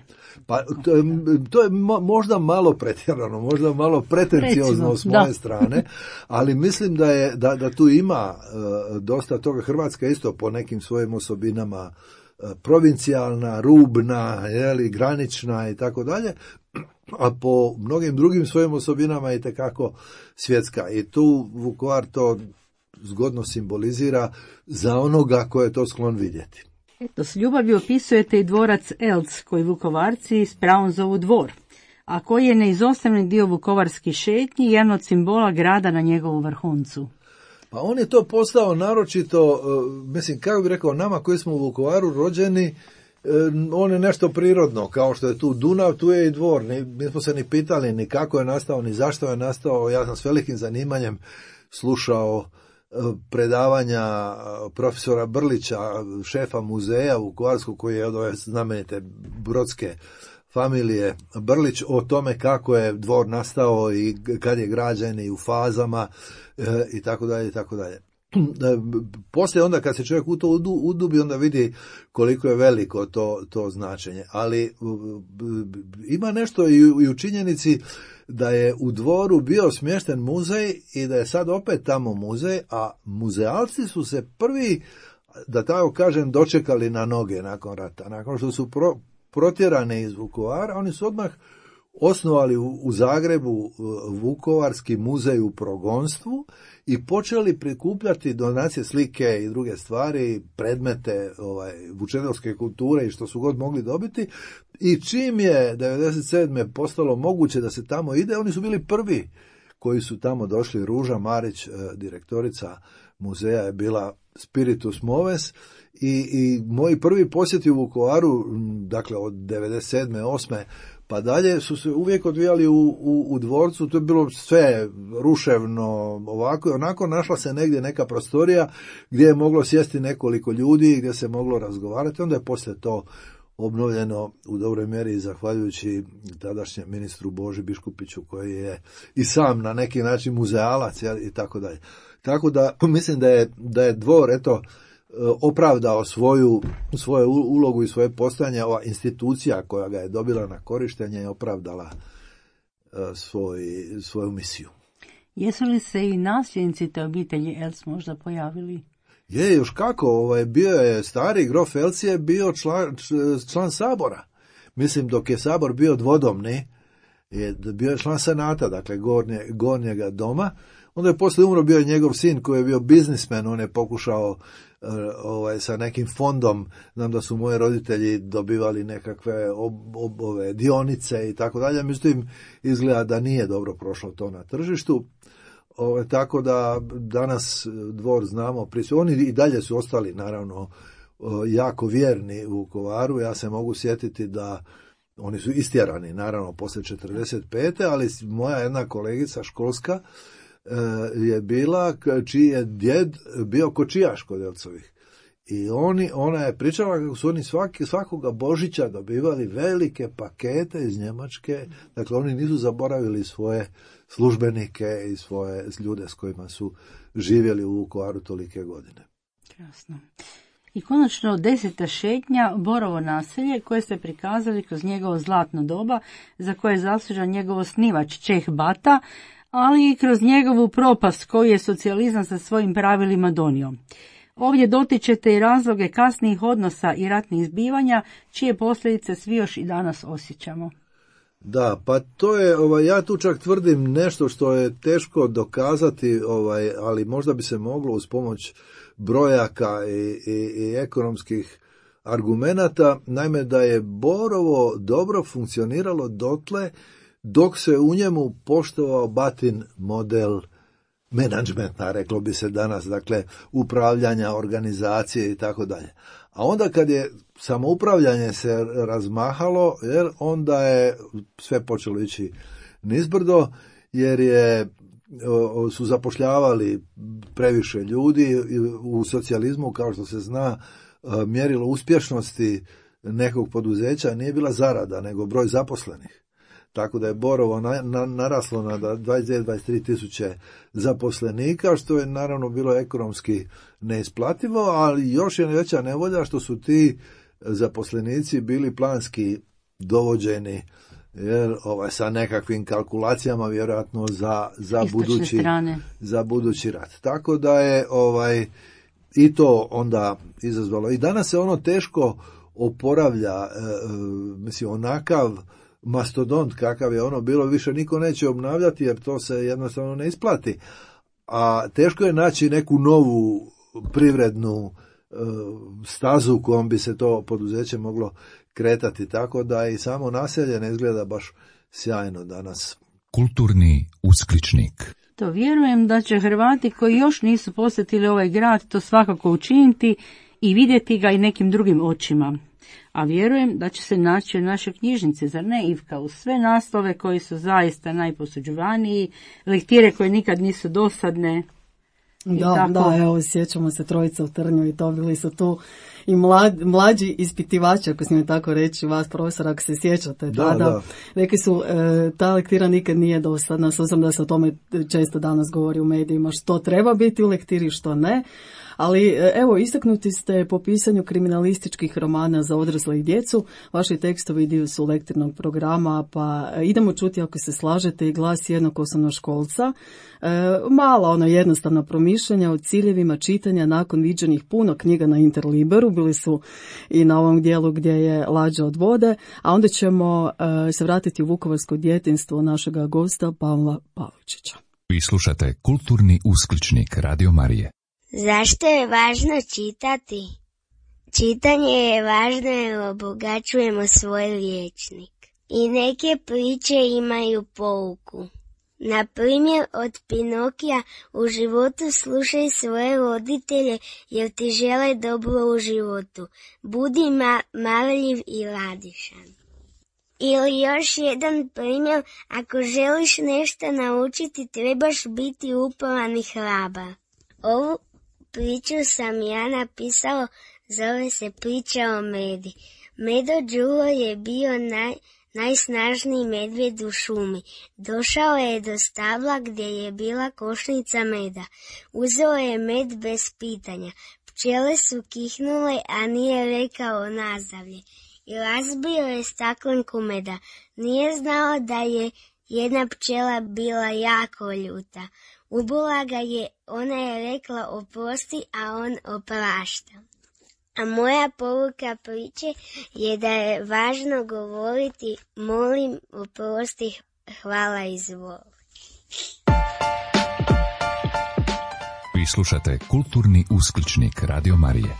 Pa to je, to je možda malo pretjerano, možda malo pretenciozno s moje da. strane, ali mislim da je da, da tu ima uh, dosta toga. Hrvatska isto po nekim svojim osobinama uh, provincijalna, rubna, jeli, granična i tako dalje, a po mnogim drugim svojim osobinama i tekako svjetska. I tu Vukovar to zgodno simbolizira za onoga ko je to sklon vidjeti. Eto, s ljubavi opisujete i dvorac Elc, koji Vukovarci s pravom zovu dvor, a koji je neizostavni dio vukovarskih šetnji i jedan od simbola grada na njegovu vrhuncu. Pa on je to postao naročito, mislim, kako bih rekao, nama koji smo u Vukovaru rođeni, on je nešto prirodno, kao što je tu Dunav, tu je i dvor. Mi smo se ni pitali ni kako je nastao, ni zašto je nastao. Ja sam s velikim zanimanjem slušao predavanja profesora Brlića, šefa muzeja Vukovarskog, koji je od ove znamenite brodske familije Brlić, o tome kako je dvor nastao i kad je građen i u fazama i tako dalje i tako dalje. poslije onda kad se čovjek u to udubi, onda vidi koliko je veliko to, to značenje. Ali ima nešto i u činjenici da je u Dvoru bio smješten muzej i da je sad opet tamo muzej, a muzealci su se prvi, da tako kažem, dočekali na noge nakon rata. Nakon što su pro, protjerani iz Vukovara, oni su odmah osnovali u, u Zagrebu Vukovarski muzej u progonstvu i počeli prikupljati donacije, slike i druge stvari, predmete ovaj, vučedolske kulture i što su god mogli dobiti. I čim je devedeset sedme postalo moguće da se tamo ide, oni su bili prvi koji su tamo došli. Ruža Marić, direktorica muzeja, je bila spiritus moves i, i moji prvi posjeti u Vukovaru, dakle od devedeset sedme osme pa dalje, su se uvijek odvijali u, u, u dvorcu. To je bilo sve ruševno, ovako i onako. Našla se negdje neka prostorija gdje je moglo sjesti nekoliko ljudi, gdje se moglo razgovarati. Onda je poslije to obnovljeno u dobroj mjeri zahvaljujući tadašnjem ministru Boži Biškupiću, koji je i sam na neki način muzealac i tako dalje. Tako da mislim da je, da je Dvor eto opravdao svoju, svoju ulogu i svoje postojanje. Ova institucija koja ga je dobila na korištenje je opravdala svoj, svoju misiju. Jesu li se i nasljednici te obitelji Els možda pojavili? Je, još kako, ovaj, bio je stari grof Els je bio član, član sabora. Mislim, dok je sabor bio dvodomni, je bio je član senata, dakle gornje, gornjega doma. Onda je poslije umro, bio je njegov sin koji je bio biznismen, on je pokušao ovaj, sa nekim fondom, znam da su moji roditelji dobivali nekakve ob, ob, ove, dionice i tako dalje, međutim izgleda da nije dobro prošlo to na tržištu. Ove, tako da danas Dvor znamo, prisi, oni i dalje su ostali naravno jako vjerni u Vukovaru. Ja se mogu sjetiti da oni su istjerani naravno poslije četrdeset pete ali moja jedna kolegica školska je bila čiji je djed bio kočijaš kod Elcovih. I oni, ona je pričala kako su oni svaki, svakoga Božića dobivali velike pakete iz Njemačke. Dakle, oni nisu zaboravili svoje službenike i svoje ljude s kojima su živjeli u Vukovaru tolike godine. Krasno. I konačno deseta šetnja, Borovo naselje, koje ste prikazali kroz njegovo zlatno doba, za koje je zaslužan njegov osnivač Čeh Bata, ali i kroz njegovu propast koju je socijalizam sa svojim pravilima donio. Ovdje dotičete i razloge kasnijih odnosa i ratnih zbivanja, čije posljedice svi još i danas osjećamo. Da, pa to je, ovaj, ja tu čak tvrdim nešto što je teško dokazati, ovaj, ali možda bi se moglo uz pomoć brojaka i, i, i ekonomskih argumenata, naime da je Borovo dobro funkcioniralo dotle dok se u njemu poštovao Batin model menadžmenta, reklo bi se danas, dakle upravljanja, organizacije i tako dalje. A onda kad je samoupravljanje se razmahalo, jer onda je sve počelo ići nizbrdo, jer je su zapošljavali previše ljudi. U socijalizmu, kao što se zna, mjerilo uspješnosti nekog poduzeća nije bila zarada, nego broj zaposlenih. Tako da je Borovo na, na, naraslo na dvadeset dvije do dvadeset tri tisuće zaposlenika, što je naravno bilo ekonomski neisplativo, ali još je veća nevolja što su ti zaposlenici bili planski dovođeni, jer ovaj, sa nekakvim kalkulacijama vjerojatno za, za, budući, za budući rat. Tako da je ovaj, i to onda izazvalo. I danas se ono teško oporavlja, e, mislim, onakav mastodont kakav je ono bilo, više niko neće obnavljati jer to se jednostavno ne isplati. A teško je naći neku novu privrednu e, stazu kojom bi se to poduzeće moglo kretati, tako da i samo naselje ne izgleda baš sjajno danas. Kulturni uskličnik. To vjerujem da će Hrvati koji još nisu posjetili ovaj grad to svakako učiniti i vidjeti ga i nekim drugim očima. A vjerujem da će se naći u našoj knjižnici, zar ne, Ivka, uz sve naslove koji su zaista najposuđivaniji, lektire koje nikad nisu dosadne. Da, da, evo, sjećamo se Trojica u trnju i to bili su tu i mlad, mlađi ispitivači, ako smijem tako reći, vas profesora, ako se sjećate Da, tada, da. rekli su e, ta lektira nikad nije dosadna, s obzirom da se o tome često danas govori u medijima, što treba biti u lektiri, što ne. Ali evo, istaknuti ste po pisanju kriminalističkih romana za odrasle i djecu. Vaši tekstovi dio su lektirnog programa, pa idemo čuti, ako se slažete, i glas jednog osnovnoškolca. E, mala, ono jednostavna promišljanja o ciljevima čitanja nakon viđenih puno knjiga na Interliberu. Bili su i na ovom dijelu gdje je Lađa od vode. A onda ćemo e, se vratiti u vukovarsko djetinjstvo našega gosta Pavla Pavličića. Vi slušate Kulturni uskličnik Radio Marije. Zašto je važno čitati? Čitanje je važno jer obogaćujemo svoj rječnik. I neke priče imaju pouku. Na primjer, od Pinokija: u životu slušaj svoje roditelje jer ti žele dobro u životu. Budi ma- marljiv i radišan. Ili još jedan primjer: ako želiš nešto naučiti, trebaš biti uporan i hrabar. Ovu priču sam ja napisao, zove se Priča o Medi. Medo Đuro je bio naj, najsnažniji medvjed u šumi. Došao je do stabla gdje je bila košnica meda. Uzeo je med bez pitanja. Pčele su kihnule, a nije rekao nazdravlje. I razbio je staklenku meda. Nije znao da je jedna pčela bila jako ljuta. Ubila ga je, ona je rekla oprosti, a on oprašta. A moja poruka priče je da je važno govoriti molim, oprosti, hvala, izvoli. Vi slušate Kulturni uskličnik Radio Marije.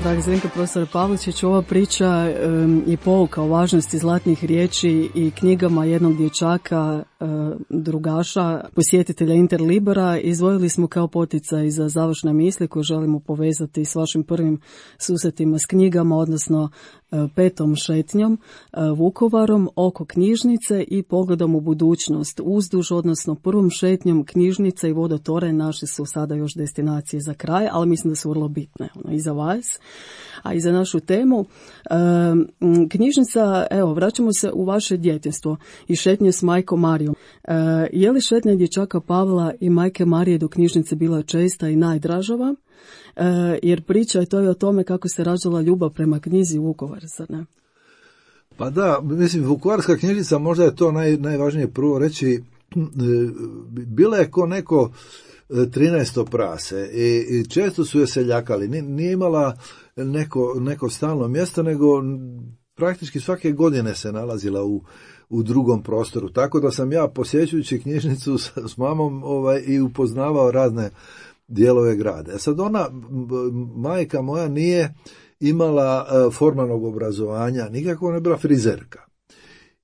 Dragi Zdenka, profesor Pavličić, ova priča um, je pouka o važnosti zlatnih riječi i knjigama jednog dječaka, uh, drugaša, posjetitelja Interlibera. Izdvojili smo kao poticaj za završne misli koje želimo povezati s vašim prvim susretima s knjigama, odnosno uh, petom šetnjom, uh, Vukovarom, oko knjižnice i pogledom u budućnost. Uzduž, odnosno prvom šetnjom knjižnica i vodotoranj naše su sada još destinacije za kraj, ali mislim da su vrlo bitne ono, i za vas. A i za našu temu. E, knjižnica, evo, vraćamo se u vaše djetinjstvo i šetnje s majkom Marijom. E, je li šetnja dječaka Pavla i majke Marije do knjižnice bila česta i najdražava? E, jer priča je to i o tome kako se rađala ljubav prema knjizi Vukovar, zar ne? Pa da, mislim, Vukovarska knjižnica, možda je to naj, najvažnije prvo reći, bila je ko neko trinaesto prase i, i često su je seljakali. Nije imala neko, neko stalno mjesto, nego praktički svake godine se nalazila u, u drugom prostoru. Tako da sam ja, posjećujući knjižnicu s, s mamom, ovaj, i upoznavao razne dijelove grada. E sad ona, majka moja, nije imala uh, formalnog obrazovanja, nikako, ona je bila frizerka.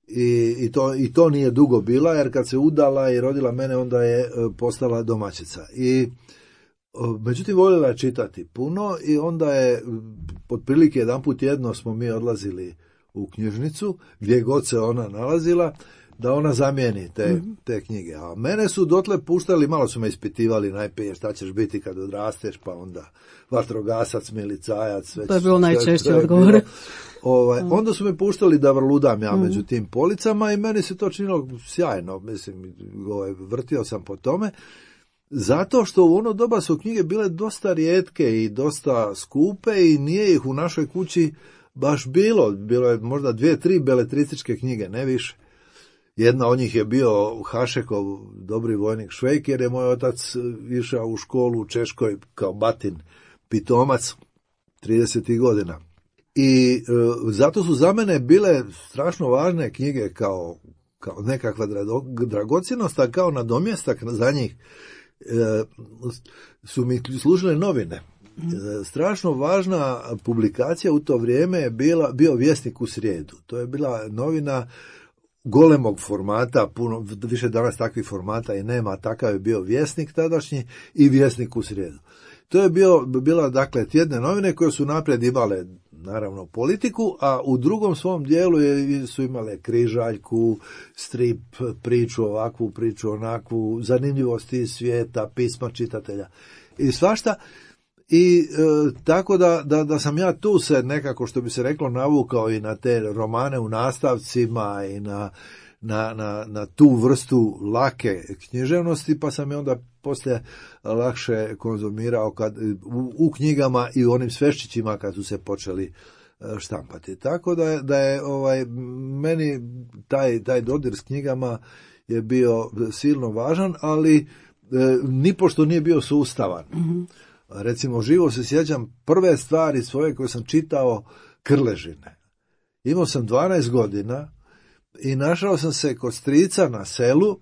I, i, to, I to nije dugo bila, jer kad se udala i rodila mene, onda je postala domaćica. I međutim, voljela je čitati puno i onda je, otprilike jedan put jedno smo mi odlazili u knjižnicu, gdje god se ona nalazila, da ona zamijeni te, mm-hmm. te knjige. A mene su dotle puštali, malo su me ispitivali najprije šta ćeš biti kad odrasteš, pa onda vatrogasac, milicajac. Već, to je bilo najčešće odgovor. Ovaj, onda su me puštali da vrludam ja među tim policama i meni se to činilo sjajno, mislim, ovaj, vrtio sam po tome, zato što u ono doba su knjige bile dosta rijetke i dosta skupe i nije ih u našoj kući baš bilo, bilo je možda dvije, tri beletrističke knjige, ne više. Jedna od njih je bio Hašekov Dobri vojnik Švejk, jer je moj otac išao u školu u Češkoj kao batin pitomac tridesetih godina. I e, zato su za mene bile strašno važne knjige kao, kao nekakva dragocjenost, a kao nadomjestak za njih e, su mi služile novine. E, strašno važna publikacija u to vrijeme je bila, bio Vjesnik u srijedu. To je bila novina golemog formata, puno, više danas takvih formata i nema, takav je bio Vjesnik tadašnji i Vjesnik u srijedu. To je bio, bila, dakle, tjedne novine koje su naprijed imale, naravno, politiku, a u drugom svom dijelu je, su imale križaljku, strip, priču ovakvu, priču onakvu, zanimljivosti iz svijeta, pisma čitatelja i svašta. I e, tako da, da, da sam ja tu se nekako, što bi se reklo, navukao i na te romane u nastavcima i na, na, na, na tu vrstu lake književnosti, pa sam je onda poslije lakše konzumirao kad, u, u knjigama i u onim sveščićima kad su se počeli štampati. Tako da je, da je ovaj, meni taj, taj dodir s knjigama je bio silno važan, ali e, nipošto nije bio sustavan. Mm-hmm. Recimo, živo se sjećam prve stvari svoje koje sam čitao Krležine. Imao sam dvanaest godina i našao sam se kod strica na selu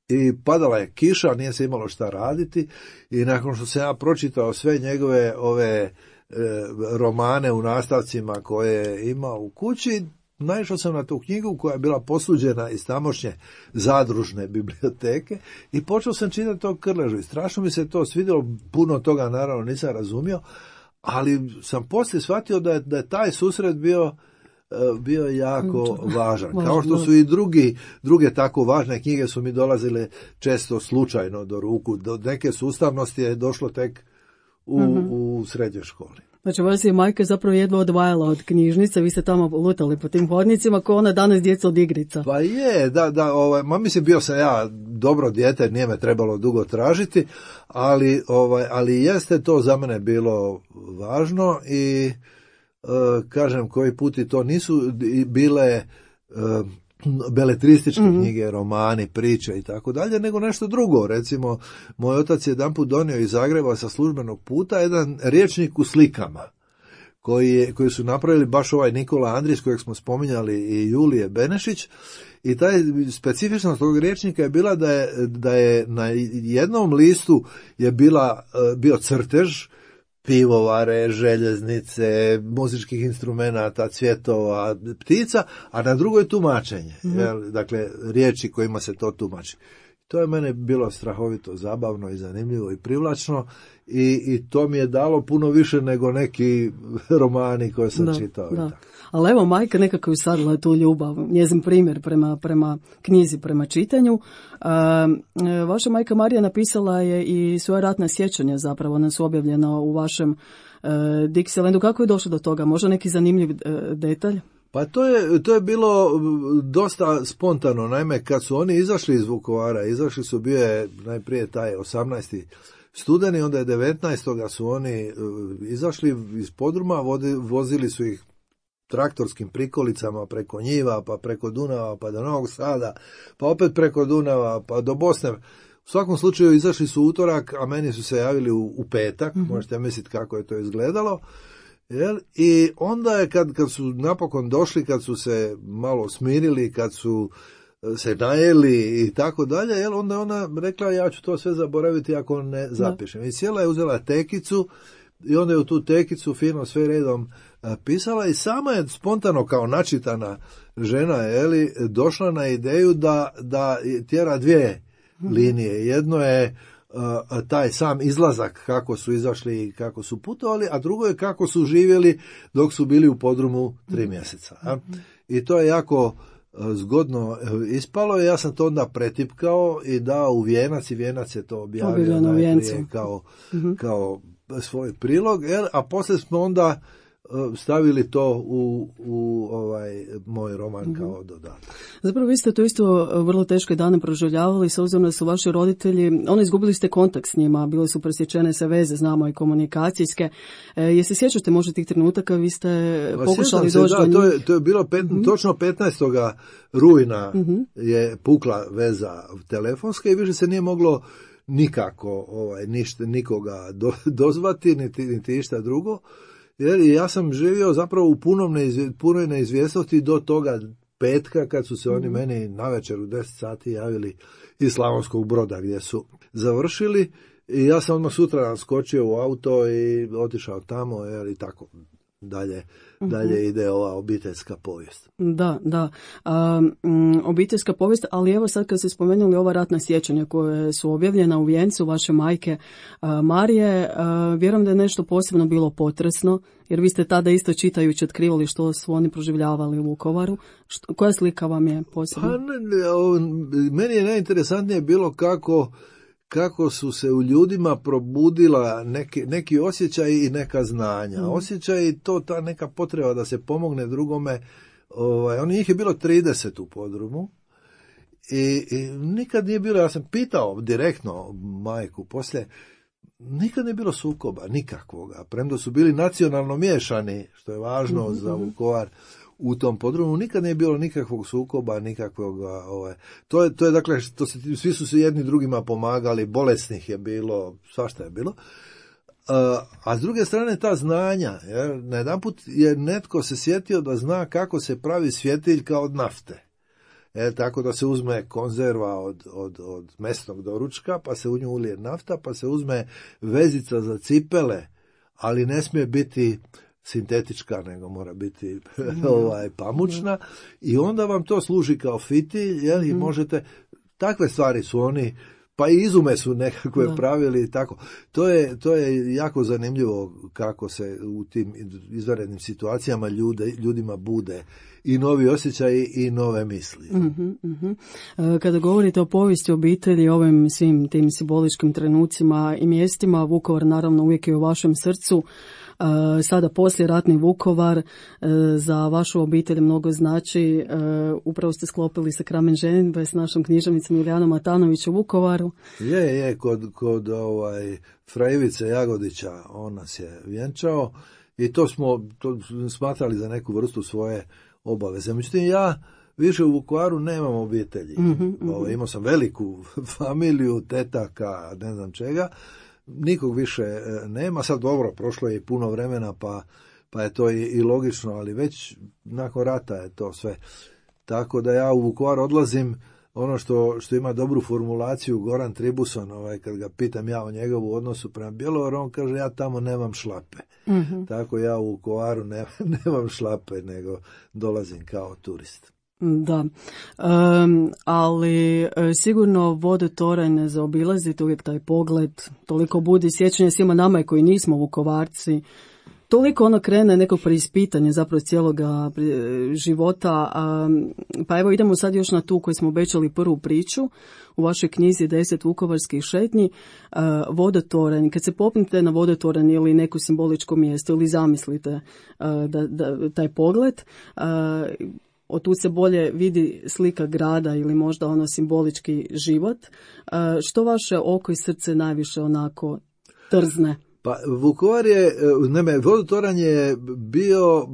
i padala je kiša, nije se imalo šta raditi i nakon što sam ja pročitao sve njegove ove e, romane u nastavcima koje je imao u kući, naišao sam na tu knjigu koja je bila posuđena iz tamošnje zadružne biblioteke i počeo sam čitati to Krležu i strašno mi se to svidjelo, puno toga naravno nisam razumio, ali sam poslije shvatio da je, da je taj susret bio bio jako važan. Kao što su i drugi, druge tako važne knjige su mi dolazile često slučajno do ruku. Do neke sustavnosti je došlo tek u, mm-hmm. u srednjoj školi. Znači, vas je majka zapravo jedva odvajala od knjižnice, vi ste tamo lutali po tim hodnicima kao ona danas djeca od igrica. Pa je, da, da, ovaj, ma mislim bio sam ja dobro dijete, nije me trebalo dugo tražiti, ali, ovaj, ali jeste to za mene bilo važno i Uh, kažem, koji puti to nisu bile uh, beletrističke mm-hmm. knjige, romani, priče i tako dalje, nego nešto drugo. Recimo, moj otac je jedanput donio iz Zagreba sa službenog puta jedan rječnik u slikama, koji, je, koji su napravili baš ovaj Nikola Andrić, kojeg smo spominjali, i Julije Benešić, i taj specifičnost tog rječnika je bila da je, da je na jednom listu je bila, uh, bio crtež pivovare, željeznice, muzičkih instrumenata, cvjetova, ptica, a na drugoj tumačenje. Mm-hmm. Jel, dakle, riječi kojima se to tumači. To je mene bilo strahovito zabavno i zanimljivo i privlačno i, i to mi je dalo puno više nego neki romani koje sam da, čitao. Da. Ali evo, majka nekako usadila tu ljubav, njezin primjer prema, prema knjizi, prema čitanju. A, vaša majka Marija napisala je i svoja ratna sjećanja, zapravo ona su objavljena u vašem e, Dixielandu. Kako je došlo do toga? Možda neki zanimljiv e, detalj? Pa to je, to je bilo dosta spontano. Naime, kad su oni izašli iz Vukovara, izašli su, bio je najprije taj osamnaesti studeni, onda je devetnaestog su oni izašli iz podruma, vozili su ih traktorskim prikolicama preko njiva, pa preko Dunava, pa do Novog Sada, pa opet preko Dunava, pa do Bosne. U svakom slučaju izašli su utorak, a meni su se javili u, u petak, mm-hmm. možete misliti kako je to izgledalo. Jel? I onda je kad, kad su napokon došli, kad su se malo smirili, kad su se najeli i tako dalje, jel? Onda je ona rekla ja ću to sve zaboraviti ako ne zapišem. I sjela je, uzela tekicu i onda je u tu tekicu fino sve redom pisala i sama je spontano kao načitana žena, jeli, došla na ideju da, da tjera dvije linije. Jedno je Uh, taj sam izlazak, kako su izašli i kako su putovali, a drugo je kako su živjeli dok su bili u podrumu tri mjeseca. A? I to je jako uh, zgodno ispalo i ja sam to onda pretipkao i dao u Vijenac i Vijenac je to objavio najprije kao, mm-hmm. kao svoj prilog, jer, a poslije smo onda stavili to u, u ovaj moj roman mm-hmm. kao dodatak. Zapravo vi ste to isto vrlo teške dane proživljavali, s obzirom da su vaši roditelji, oni izgubili ste kontakt s njima, bile su presječene se veze, znamo i komunikacijske. E, jesi sjećate možda tih trenutaka, vi ste pa, pokušali doći do njih? To je, to je bilo pet, mm-hmm. točno petnaestog rujna mm-hmm. je pukla veza telefonska i više se nije moglo nikako ovaj, ništa, nikoga do, dozvati, niti, niti išta drugo. Jer ja sam živio zapravo u punom neizvje, punoj neizvjesnosti do toga petka kad su se oni mm. meni navečer u deset sati javili iz Slavonskog Broda gdje su završili i ja sam odmah sutra skočio u auto i otišao tamo jer i tako dalje, mm-hmm. dalje ide ova obiteljska povijest. Da, da. Um, obiteljska povijest, ali evo sad kad ste spomenuli ova ratna sjećanja koje su objavljena u vijencu vaše majke uh, Marije, uh, vjerujem da je nešto posebno bilo potresno, jer vi ste tada isto čitajući otkrivali što su oni proživljavali u Vukovaru. Što, koja slika vam je posebna? Pa, ne, ne, o, meni je najinteresantnije bilo kako kako su se u ljudima probudila neki, neki osjećaj i neka znanja. Mm. Osjećaj i to ta neka potreba da se pomogne drugome. Ovaj, on njih je bilo trideset u podrumu i, i nikad nije bilo, ja sam pitao direktno majku poslije, nikad nije bilo sukoba, nikakvoga. Premda su bili nacionalno miješani, što je važno mm-hmm. za Vukovar, u tom podrumu nikad nije bilo nikakvog sukoba, nikakvog, ovaj, to je, to je dakle, to se, svi su se jedni drugima pomagali, bolesnih je bilo, svašta je bilo. A, a s druge strane ta znanja, jer najedanput je netko se sjetio da zna kako se pravi svjetiljka od nafte. E, tako da se uzme konzerva od, od, od mesnog doručka, pa se u nju ulije nafta, pa se uzme vezica za cipele, ali ne smije biti sintetička, nego mora biti mm. ovaj, pamučna, mm. i onda vam to služi kao fitilj, jel, i mm. možete, takve stvari su oni, pa i izume su nekakve da. pravili i tako. To je, to je jako zanimljivo kako se u tim izvanrednim situacijama ljude, ljudima bude i novi osjećaji i nove misli. Uh-huh, uh-huh. Kada govorite o povijesti obitelji, ovim svim tim simboličkim trenucima i mjestima, Vukovar naravno uvijek je u vašem srcu. Sada poslije ratni Vukovar za vašu obitelj mnogo znači. Upravo ste sklopili sa kramen ženidbe s našom književnicom Julijanom Matanović u Vukovaru. Je, je, kod, kod ovaj, fra Ivice Jagodića on nas je vjenčao i to smo to smatrali za neku vrstu svoje obaveze. Međutim, ja više u Vukovaru nemam obitelji. Mm-hmm, mm-hmm. Ovo, imao sam veliku familiju, tetaka, ne znam čega. Nikog više nema, sad dobro, prošlo je i puno vremena, pa, pa je to i, i logično, ali već nakon rata je to sve. Tako da ja u Vukovar odlazim, ono što, što ima dobru formulaciju Goran Tribuson, ovaj, kad ga pitam ja o njegovu odnosu prema Bjelovaru, on kaže ja tamo nemam šlape. Mm-hmm. Tako ja u Vukovaru ne, nemam šlape, nego dolazim kao turist. Da, um, ali sigurno Vodotoranj ne zaobilazite, uvijek taj pogled, toliko budi sjećanja svima nama koji nismo Vukovarci, toliko ono krene nekog preispitanja zapravo cijeloga života, um, pa evo idemo sad još na tu koju smo obećali prvu priču u vašoj knjizi deset vukovarskih šetnji, uh, Vodotoranj. Kad se popnete na Vodotoranj ili neko simboličko mjesto ili zamislite uh, da, da, taj pogled, uh, od tu se bolje vidi slika grada ili možda ono simbolički život. Što vaše oko i srce najviše onako trzne? Pa Vukovar je, ne, Vodotoranj je bio,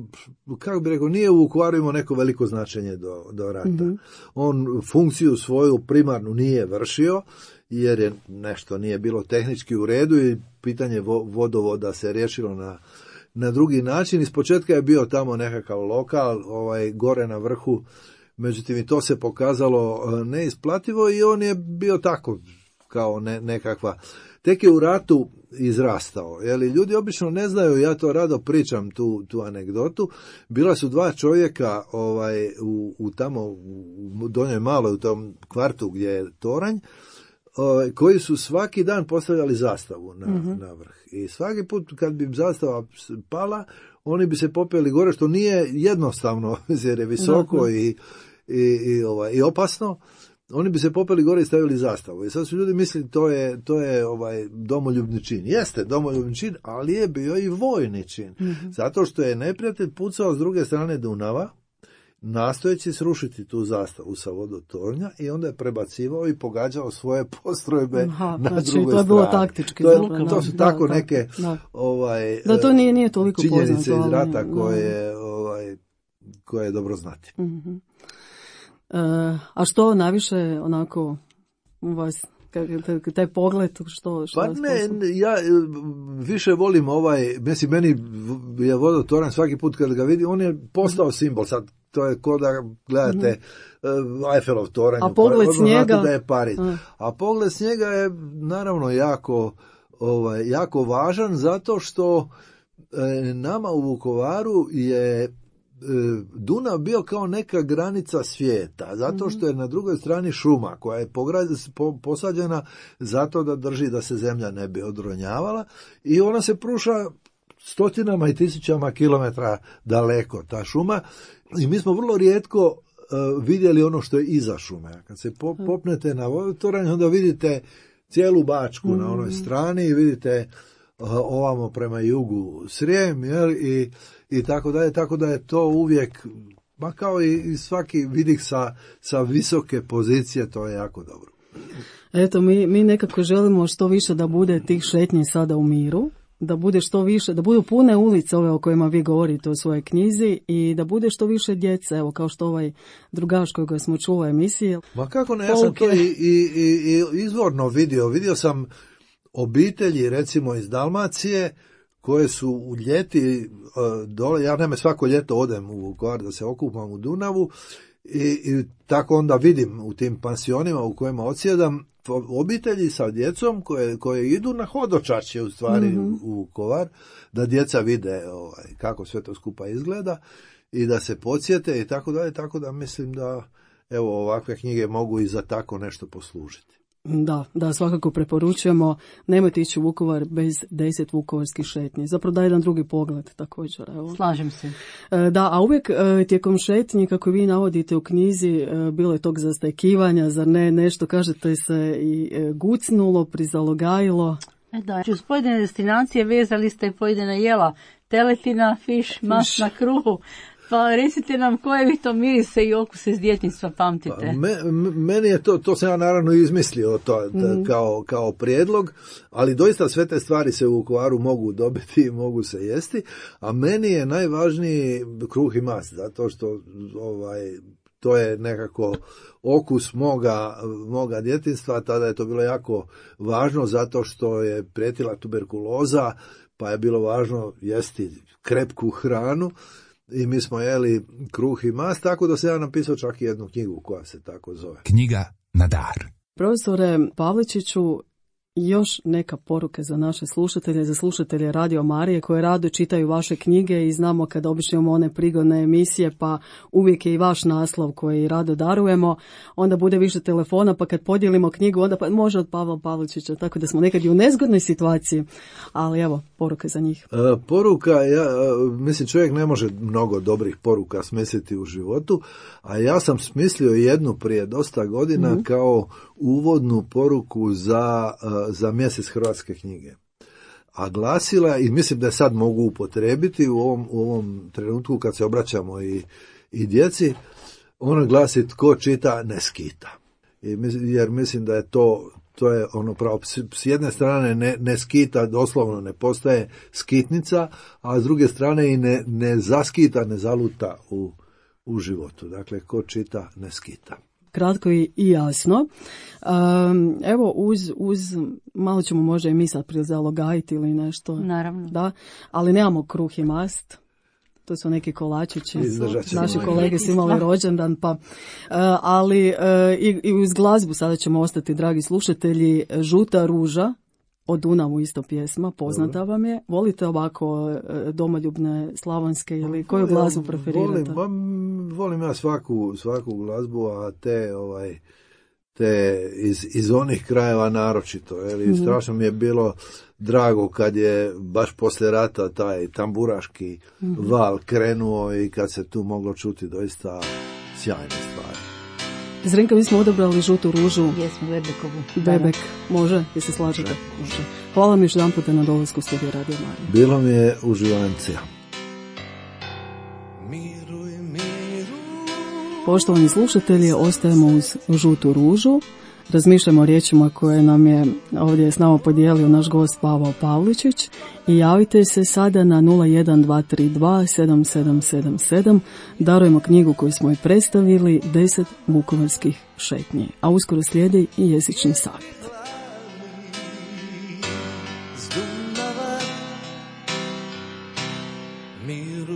kako bi rekao, nije u Vukovaru imao neko veliko značenje do, do rata. Mm-hmm. On funkciju svoju primarnu nije vršio, jer je nešto nije bilo tehnički u redu i pitanje vodovoda se riješilo na na drugi način. Ispočetka je bio tamo nekakav lokal, ovaj, gore na vrhu, međutim i to se pokazalo neisplativo i on je bio tako kao ne, nekakva. Tek je u ratu izrastao. Jeli, ljudi obično ne znaju, ja to rado pričam tu, tu anegdotu. Bila su dva čovjeka ovaj, u, u tamo u Donjoj Maloj, u tom kvartu gdje je toranj, koji su svaki dan postavljali zastavu na, mm-hmm. na vrh. I svaki put kad bi zastava pala, oni bi se popeli gore, što nije jednostavno, jer je visoko mm-hmm. i, i, i, ovaj, i opasno. Oni bi se popeli gore i stavili zastavu. I sad su ljudi mislili to je, to je ovaj domoljubni čin. Jeste domoljubni čin, ali je bio i vojni čin. Mm-hmm. Zato što je neprijatelj pucao s druge strane Dunava, nastojeći srušiti tu zastavu sa Vodotornja i onda je prebacivao i pogađao svoje postrojbe Aha, na znači, drugoj strani. To je bilo taktički. To, je, dobro, to su da, tako da, neke da. Ovaj, da, to nije, nije toliko činjenice poznato, iz rata ali, koje, da. ovaj, koje je dobro znati. Uh-huh. Uh, a što najviše onako u vas, taj pogled, što, što pa ne, ja više volim ovaj, mislim, meni je Vodotoranj svaki put kad ga vidim, on je postao simbol, sad to je ko da gledate mm-hmm. uh, Eiffelov toranj, a pogled s njega da je Pariz. A. a pogled s njega je naravno jako, ovaj, jako važan zato što e, nama u Vukovaru je Dunav bio kao neka granica svijeta, zato što je na drugoj strani šuma koja je posađena zato da drži da se zemlja ne bi odronjavala i ona se pruša stotinama i tisućama kilometra daleko, ta šuma, i mi smo vrlo rijetko uh, vidjeli ono što je iza šume. Kad se popnete na Vodotoranj, onda vidite cijelu Bačku mm. na onoj strani i vidite uh, ovamo prema jugu Srijem, jel, i, i tako dalje, tako da je to uvijek, ma kao i, i svaki vidik sa, sa visoke pozicije, to je jako dobro. Eto, mi, mi nekako želimo što više da bude tih šetnji sada u miru, da bude što više, da budu pune ulice ove o kojima vi govorite u svojoj knjizi i da bude što više djece, evo kao što ovaj drugaš kojega smo čuli u emisiji. Ma kako ne, ja sam to i, i, i, i izvorno vidio, vidio sam obitelji recimo iz Dalmacije koje su u ljeti uh, dole, ja naime svako ljeto odem u Vukovar da se okupam u Dunavu i, i tako onda vidim u tim pansionima u kojima odsjedam obitelji sa djecom koje, koje idu na hodočašće u stvari mm-hmm. u Vukovar, da djeca vide ovaj, kako sve to skupa izgleda i da se podsjete i tako dalje, tako da mislim da evo ovakve knjige mogu i za tako nešto poslužiti. Da, da, svakako preporučujemo, nemojte ići u Vukovar bez deset vukovarskih šetnji. Zapravo da jedan drugi pogled također. Evo. Slažem se. Da, a uvijek tijekom šetnji, kako vi navodite u knjizi, bilo je tog zastajkivanja, zar ne, nešto kažete se i gucnulo, prizalogajilo. E da, uz pojedine destinacije vezali ste pojedina jela, teletina, fiš, mas na kruhu. Pa recite nam koje vi to mirise i okuse iz djetinjstva pamtite. Pa, me, meni je to, to sam ja naravno izmislio to, da, mm. kao, kao prijedlog, ali doista sve te stvari se u Vukovaru mogu dobiti i mogu se jesti, a meni je najvažniji kruh i mast, zato što ovaj, to je nekako okus moga, moga djetinjstva, tada je to bilo jako važno zato što je prijetila tuberkuloza, pa je bilo važno jesti krepku hranu. I mi smo jeli kruh i mast, tako da se ja napisao čak i jednu knjigu koja se tako zove. Knjiga na dar. Profesore Pavličiću, još neka poruka za naše slušatelje, za slušatelje Radio Marije koje rado čitaju vaše knjige i znamo kada obično imamo one prigodne emisije pa uvijek je i vaš naslov koji rado darujemo, onda bude više telefona pa kad podijelimo knjigu onda pa može od Pavla Pavličića, tako da smo nekad i u nezgodnoj situaciji, ali evo poruka za njih. E, poruka, ja, mislim čovjek ne može mnogo dobrih poruka smisliti u životu, a ja sam smislio jednu prije dosta godina mm-hmm. kao uvodnu poruku za, za mjesec hrvatske knjige. A glasila, i mislim da je sad mogu upotrijebiti u ovom, u ovom trenutku kad se obraćamo i, i djeci, ona glasi tko čita ne skita. I, jer mislim da je to, to je ono pravo, s jedne strane ne, ne skita, doslovno ne postaje skitnica, a s druge strane i ne, ne zaskita, ne zaluta u, u životu. Dakle, ko čita ne skita. Kratko i jasno. Um, evo, uz, uz, malo ćemo možda i mi sad prizalogajiti ili nešto. Naravno. Da, ali nemamo kruh i mast. To su neki kolačići. Naši kolege su imali rođendan, pa, uh, ali uh, i, i uz glazbu sada ćemo ostati, dragi slušatelji, Žuta ruža. O Dunavu isto pjesma, poznata vam je. Volite ovako domoljubne, slavonske ili koju glazbu preferirate? Volim, volim ja svaku, svaku glazbu, a te, ovaj, te iz, iz onih krajeva naročito. Jer mm-hmm. strašno mi je bilo drago kad je baš poslije rata taj tamburaški mm-hmm. val krenuo i kad se tu moglo čuti doista sjajne stvari. Zrenka, mi smo odabrali Žutu ružu. Jesmo, Bebekovu. Bebek, može? Jel se slažete? Može. Hvala mi još jedan puta na dolasku u studiju Radio Marije. Bilo mi je uživancija. Poštovani slušatelji, ostajemo uz Žutu ružu. Razmišljamo o riječima koje nam je ovdje s nama podijelio naš gost Pavao Pavličić i javite se sada na nula jedan dva tri dva sedam sedam sedam sedam. Darujemo knjigu koju smo i predstavili, deset vukovarskih šetnji, a uskoro slijedi i jezični savjet. Neću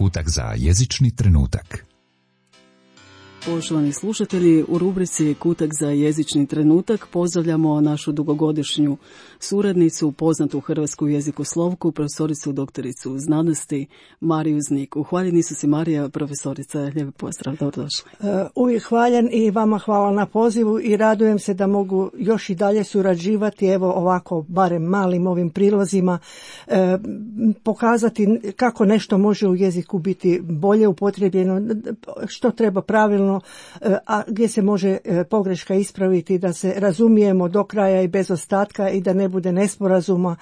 kutak za jezični trenutak. Poštovani slušatelji, u rubrici Kutak za jezični trenutak pozdravljamo našu dugogodišnju suradnicu, poznatu hrvatsku jezikoslovku, profesoricu doktoricu znanosti Mariju Znik. Uhvaljeni su si, Marija, profesorica. Lijep pozdrav, dobrodošli. Uh, uvijek hvaljen i vama hvala na pozivu i radujem se da mogu još i dalje surađivati, evo ovako, barem malim ovim prilozima, uh, pokazati kako nešto može u jeziku biti bolje upotrijebljeno, što treba pravilno, a gdje se može pogreška ispraviti, da se razumijemo do kraja i bez ostatka i da ne bude nesporazuma,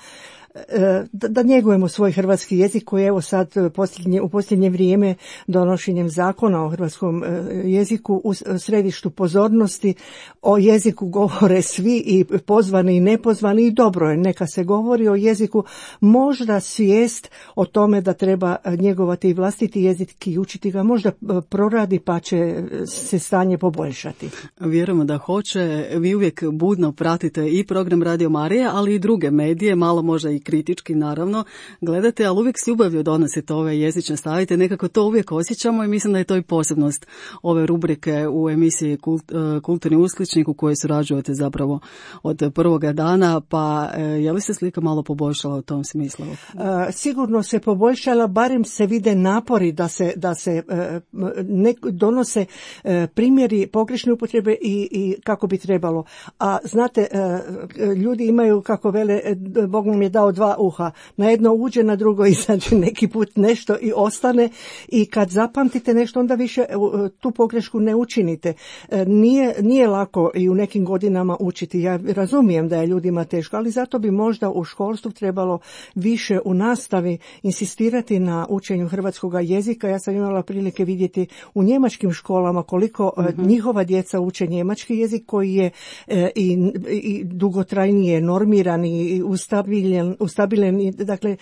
da, da njegujemo svoj hrvatski jezik koji evo sad posljednje, u posljednje vrijeme donošenjem zakona o hrvatskom jeziku u središtu pozornosti. O jeziku govore svi, i pozvani i nepozvani, i dobro je, neka se govori o jeziku. Možda svijest o tome da treba njegovati i vlastiti jezik i učiti ga možda proradi, pa će se stanje poboljšati. Vjerujemo da hoće. Vi uvijek budno pratite i program Radio Marija, ali i druge medije, malo možda i kritički, naravno, gledate, ali uvijek s ljubavlju donosite ove jezične stavite, nekako to uvijek osjećamo i mislim da je to i posebnost ove rubrike u emisiji Kult, Kulturni uskličnik u kojoj surađujete zapravo od prvoga dana, pa je li se slika malo poboljšala u tom smislu? A, sigurno se poboljšala, barem se vide napori da se, da se ne, donose primjeri pogrešne upotrebe i, i kako bi trebalo. A znate, ljudi imaju, kako vele, Bog nam je dao dva uha. Na jedno uđe, na drugo izađe neki put nešto i ostane, i kad zapamtite nešto onda više tu pogrešku ne učinite. Nije, nije lako i u nekim godinama učiti. Ja razumijem da je ljudima teško, ali zato bi možda u školstvu trebalo više u nastavi insistirati na učenju hrvatskog jezika. Ja sam imala prilike vidjeti u njemačkim školama koliko mm-hmm. njihova djeca uče njemački jezik koji je e, i, i dugotrajnije normiran i ustabiljen, ustabiljen, dakle,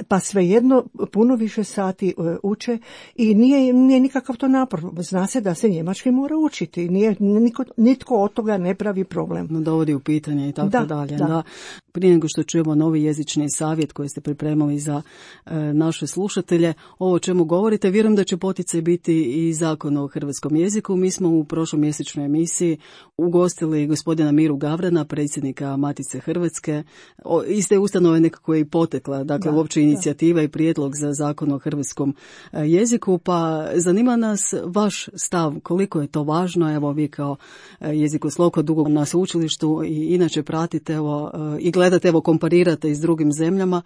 pa svejedno puno više sati uče i nije, nije nikakav to napor. Zna se da se njemački mora učiti. Nije, niko, nitko od toga ne pravi problem. No, dovodi u pitanje i tako da, dalje. Da. Da. Prije nego što čujemo novi jezični savjet koji ste pripremali za e, naše slušatelje, ovo o čemu govorite, vjerujem da će poticaj biti i zakon o hrvatskom jeziku. Mi smo u prošloj mjesečnoj emisiji ugostili gospodina Miru Gavrana, predsjednika Matice Hrvatske. O, iz te ustanove nekako je i potekla, dakle, da, uopće inicijativa da. i prijedlog za zakon o hrvatskom jeziku, pa zanima nas vaš stav, koliko je to važno. Evo, vi kao jezikoslovka dugo na sveučilištu i inače pratite, evo, i gledate, evo, komparirate i s drugim zemljama.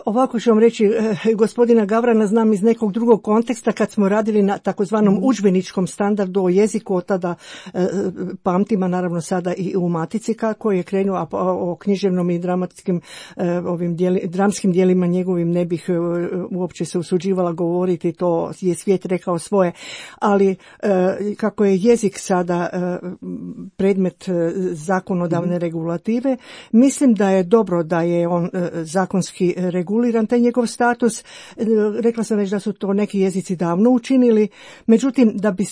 Ovako ću vam reći, gospodina Gavrana znam iz nekog drugog konteksta kad smo radili na takozvanom udžbeničkom standardu o jeziku, od tada pamtima, naravno sada i u Matici kako je krenuo, a o književnom i dramatskim ovim dijeli, dramskim dijelima njegovim ne bih uopće se usuđivala govoriti, to je svijet rekao svoje, ali kako je jezik sada predmet zakonodavne regulative, mislim da je dobro da je on zakonski reguliran, taj njegov status. Rekla sam već da su to neki jezici davno učinili, međutim da bi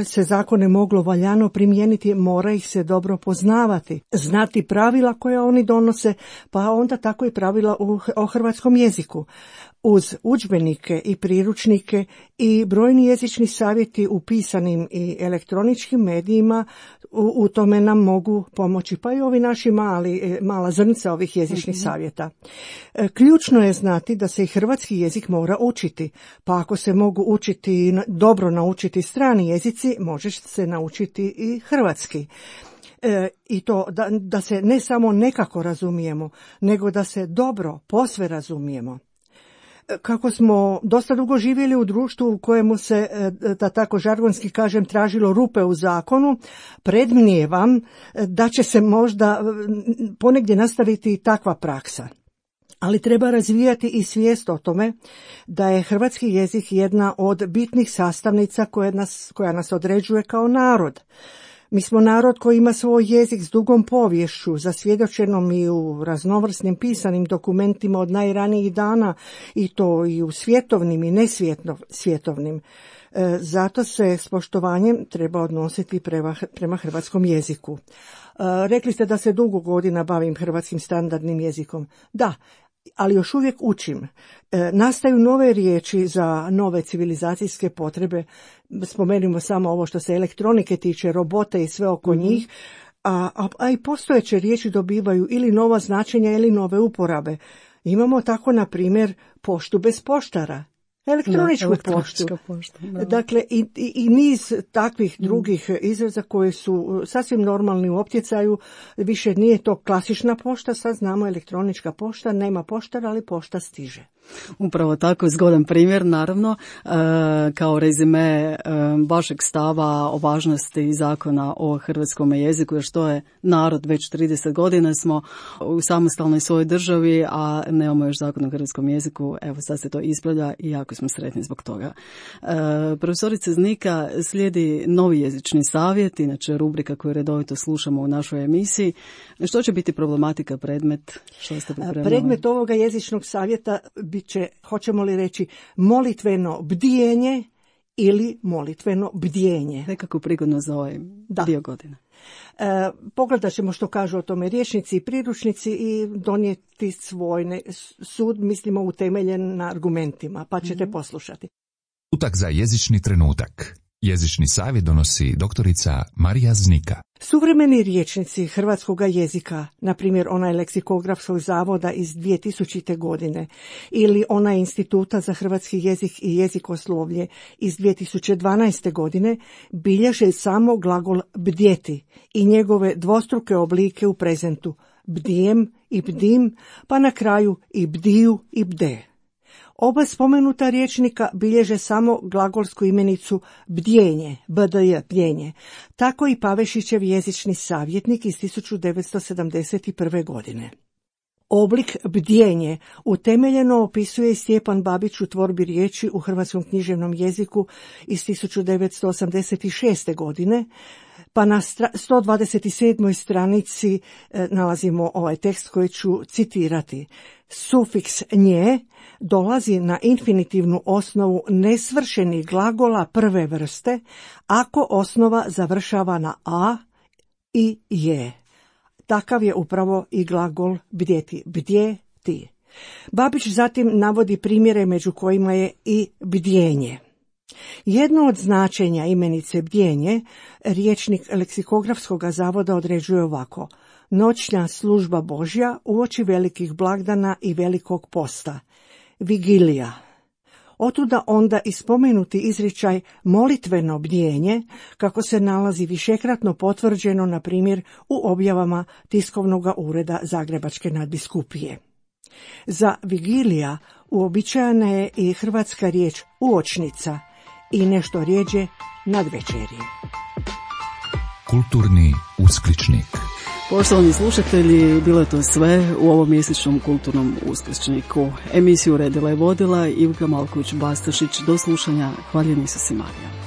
se zakone moglo valjano primijeniti, mora ih se dobro poznavati, znati pravila koja oni donose, pa onda tako i pravila o hrvatskom jeziku. Uz udžbenike i priručnike i brojni jezični savjeti u pisanim i elektroničkim medijima u, u tome nam mogu pomoći, pa i ovi naši mali, mala zrnca ovih jezičnih savjeta. Ključno je znati da se i hrvatski jezik mora učiti, pa ako se mogu učiti, dobro naučiti strani jezici, može se naučiti i hrvatski. E, i to da, da se ne samo nekako razumijemo, nego da se dobro, posve razumijemo. Kako smo dosta dugo živjeli u društvu u kojemu se, da tako žargonski kažem, tražilo rupe u zakonu, predmnijevam da će se možda ponegdje nastaviti takva praksa. Ali treba razvijati i svijest o tome da je hrvatski jezik jedna od bitnih sastavnica koja nas, koja nas određuje kao narod. Mi smo narod koji ima svoj jezik s dugom poviješću, zasvjedočenom i u raznovrsnim pisanim dokumentima od najranijih dana, i to i u svjetovnim i nesvjetovnim. E, zato se s poštovanjem treba odnositi prema, prema hrvatskom jeziku. E, rekli ste da se dugo godina bavim hrvatskim standardnim jezikom. Da, ali još uvijek učim. E, nastaju nove riječi za nove civilizacijske potrebe. Spomenimo samo ovo što se elektronike tiče, robote i sve oko mm-hmm. njih. A, a, a i postojeće riječi dobivaju ili nova značenja ili nove uporabe. Imamo tako, na primjer, poštu bez poštara. Elektroničku da, poštu. Pošta, dakle, i, i, i niz takvih drugih mm. izraza koji su sasvim normalni u optjecaju. Više nije to klasična pošta, sad znamo elektronička pošta, nema poštara, ali pošta stiže. Upravo tako, zgodan primjer, naravno, e, kao rezime e, vašeg stava o važnosti zakona o hrvatskom jeziku, jer što je narod, već trideset godina smo u samostalnoj svojoj državi, a nemamo još zakon o hrvatskom jeziku, evo sad se to ispravlja i jako smo sretni zbog toga. E, profesorice Znika, slijedi novi jezični savjet, inače rubrika koju redovito slušamo u našoj emisiji. Što će biti problematika, predmet? Što ste pripremili? Predmet ovoga jezičnog savjeta bit će, hoćemo li reći, molitveno bdijenje ili molitveno bdjenje. Nekako prigodno za ovaj da. dio godine. E, pogledat ćemo što kažu o tome rječnici i priručnici i donijeti svoj ne, sud, mislimo, utemeljen na argumentima, pa ćete mm-hmm. poslušati. Utak za jezični trenutak. Jezični savjet donosi doktorica Marija Znika. Suvremeni rječnici hrvatskog jezika, na primjer onaj leksikografskog zavoda iz dvije tisućite. godine ili onaj Instituta za hrvatski jezik i jezikoslovlje iz dvije tisuće dvanaeste. godine, bilježe samo glagol bdjeti i njegove dvostruke oblike u prezentu, bdijem i bdim, pa na kraju i bdiju i bde. Oba spomenuta rječnika bilježe samo glagolsku imenicu bdjenje, bdj, bdjenje. Tako i Pavešićev jezični savjetnik iz tisuću devetsto sedamdeset prve. godine. Oblik bdjenje utemeljeno opisuje i Stjepan Babić u tvorbi riječi u hrvatskom književnom jeziku iz tisuću devetsto osamdeset šeste. godine, pa na sto dvadeset sedmoj stranici e, nalazimo ovaj tekst koji ću citirati. Sufiks nje dolazi na infinitivnu osnovu nesvršenih glagola prve vrste ako osnova završava na a i je. Takav je upravo i glagol bdjeti, bdje ti. Babić zatim navodi primjere među kojima je i bdjenje. Jedno od značenja imenice bdjenje rječnik leksikografskog zavoda određuje ovako: noćna služba Božja uoči velikih blagdana i velikog posta, vigilija. Otuda onda i spomenuti izričaj molitveno bdjenje, kako se nalazi višekratno potvrđeno, na primjer, u objavama tiskovnog ureda Zagrebačke nadbiskupije. Za vigilija uobičajena je i hrvatska riječ uočnica i nešto rjeđe nadvečerje. Kulturni uskličnik. Poštovani slušatelji, bilo je to sve u ovom mjesečnom kulturnom uskličniku. Emisiju redila i vodila Ivka Malković-Bastašić. Do slušanja. Hvaljeni su si Marija.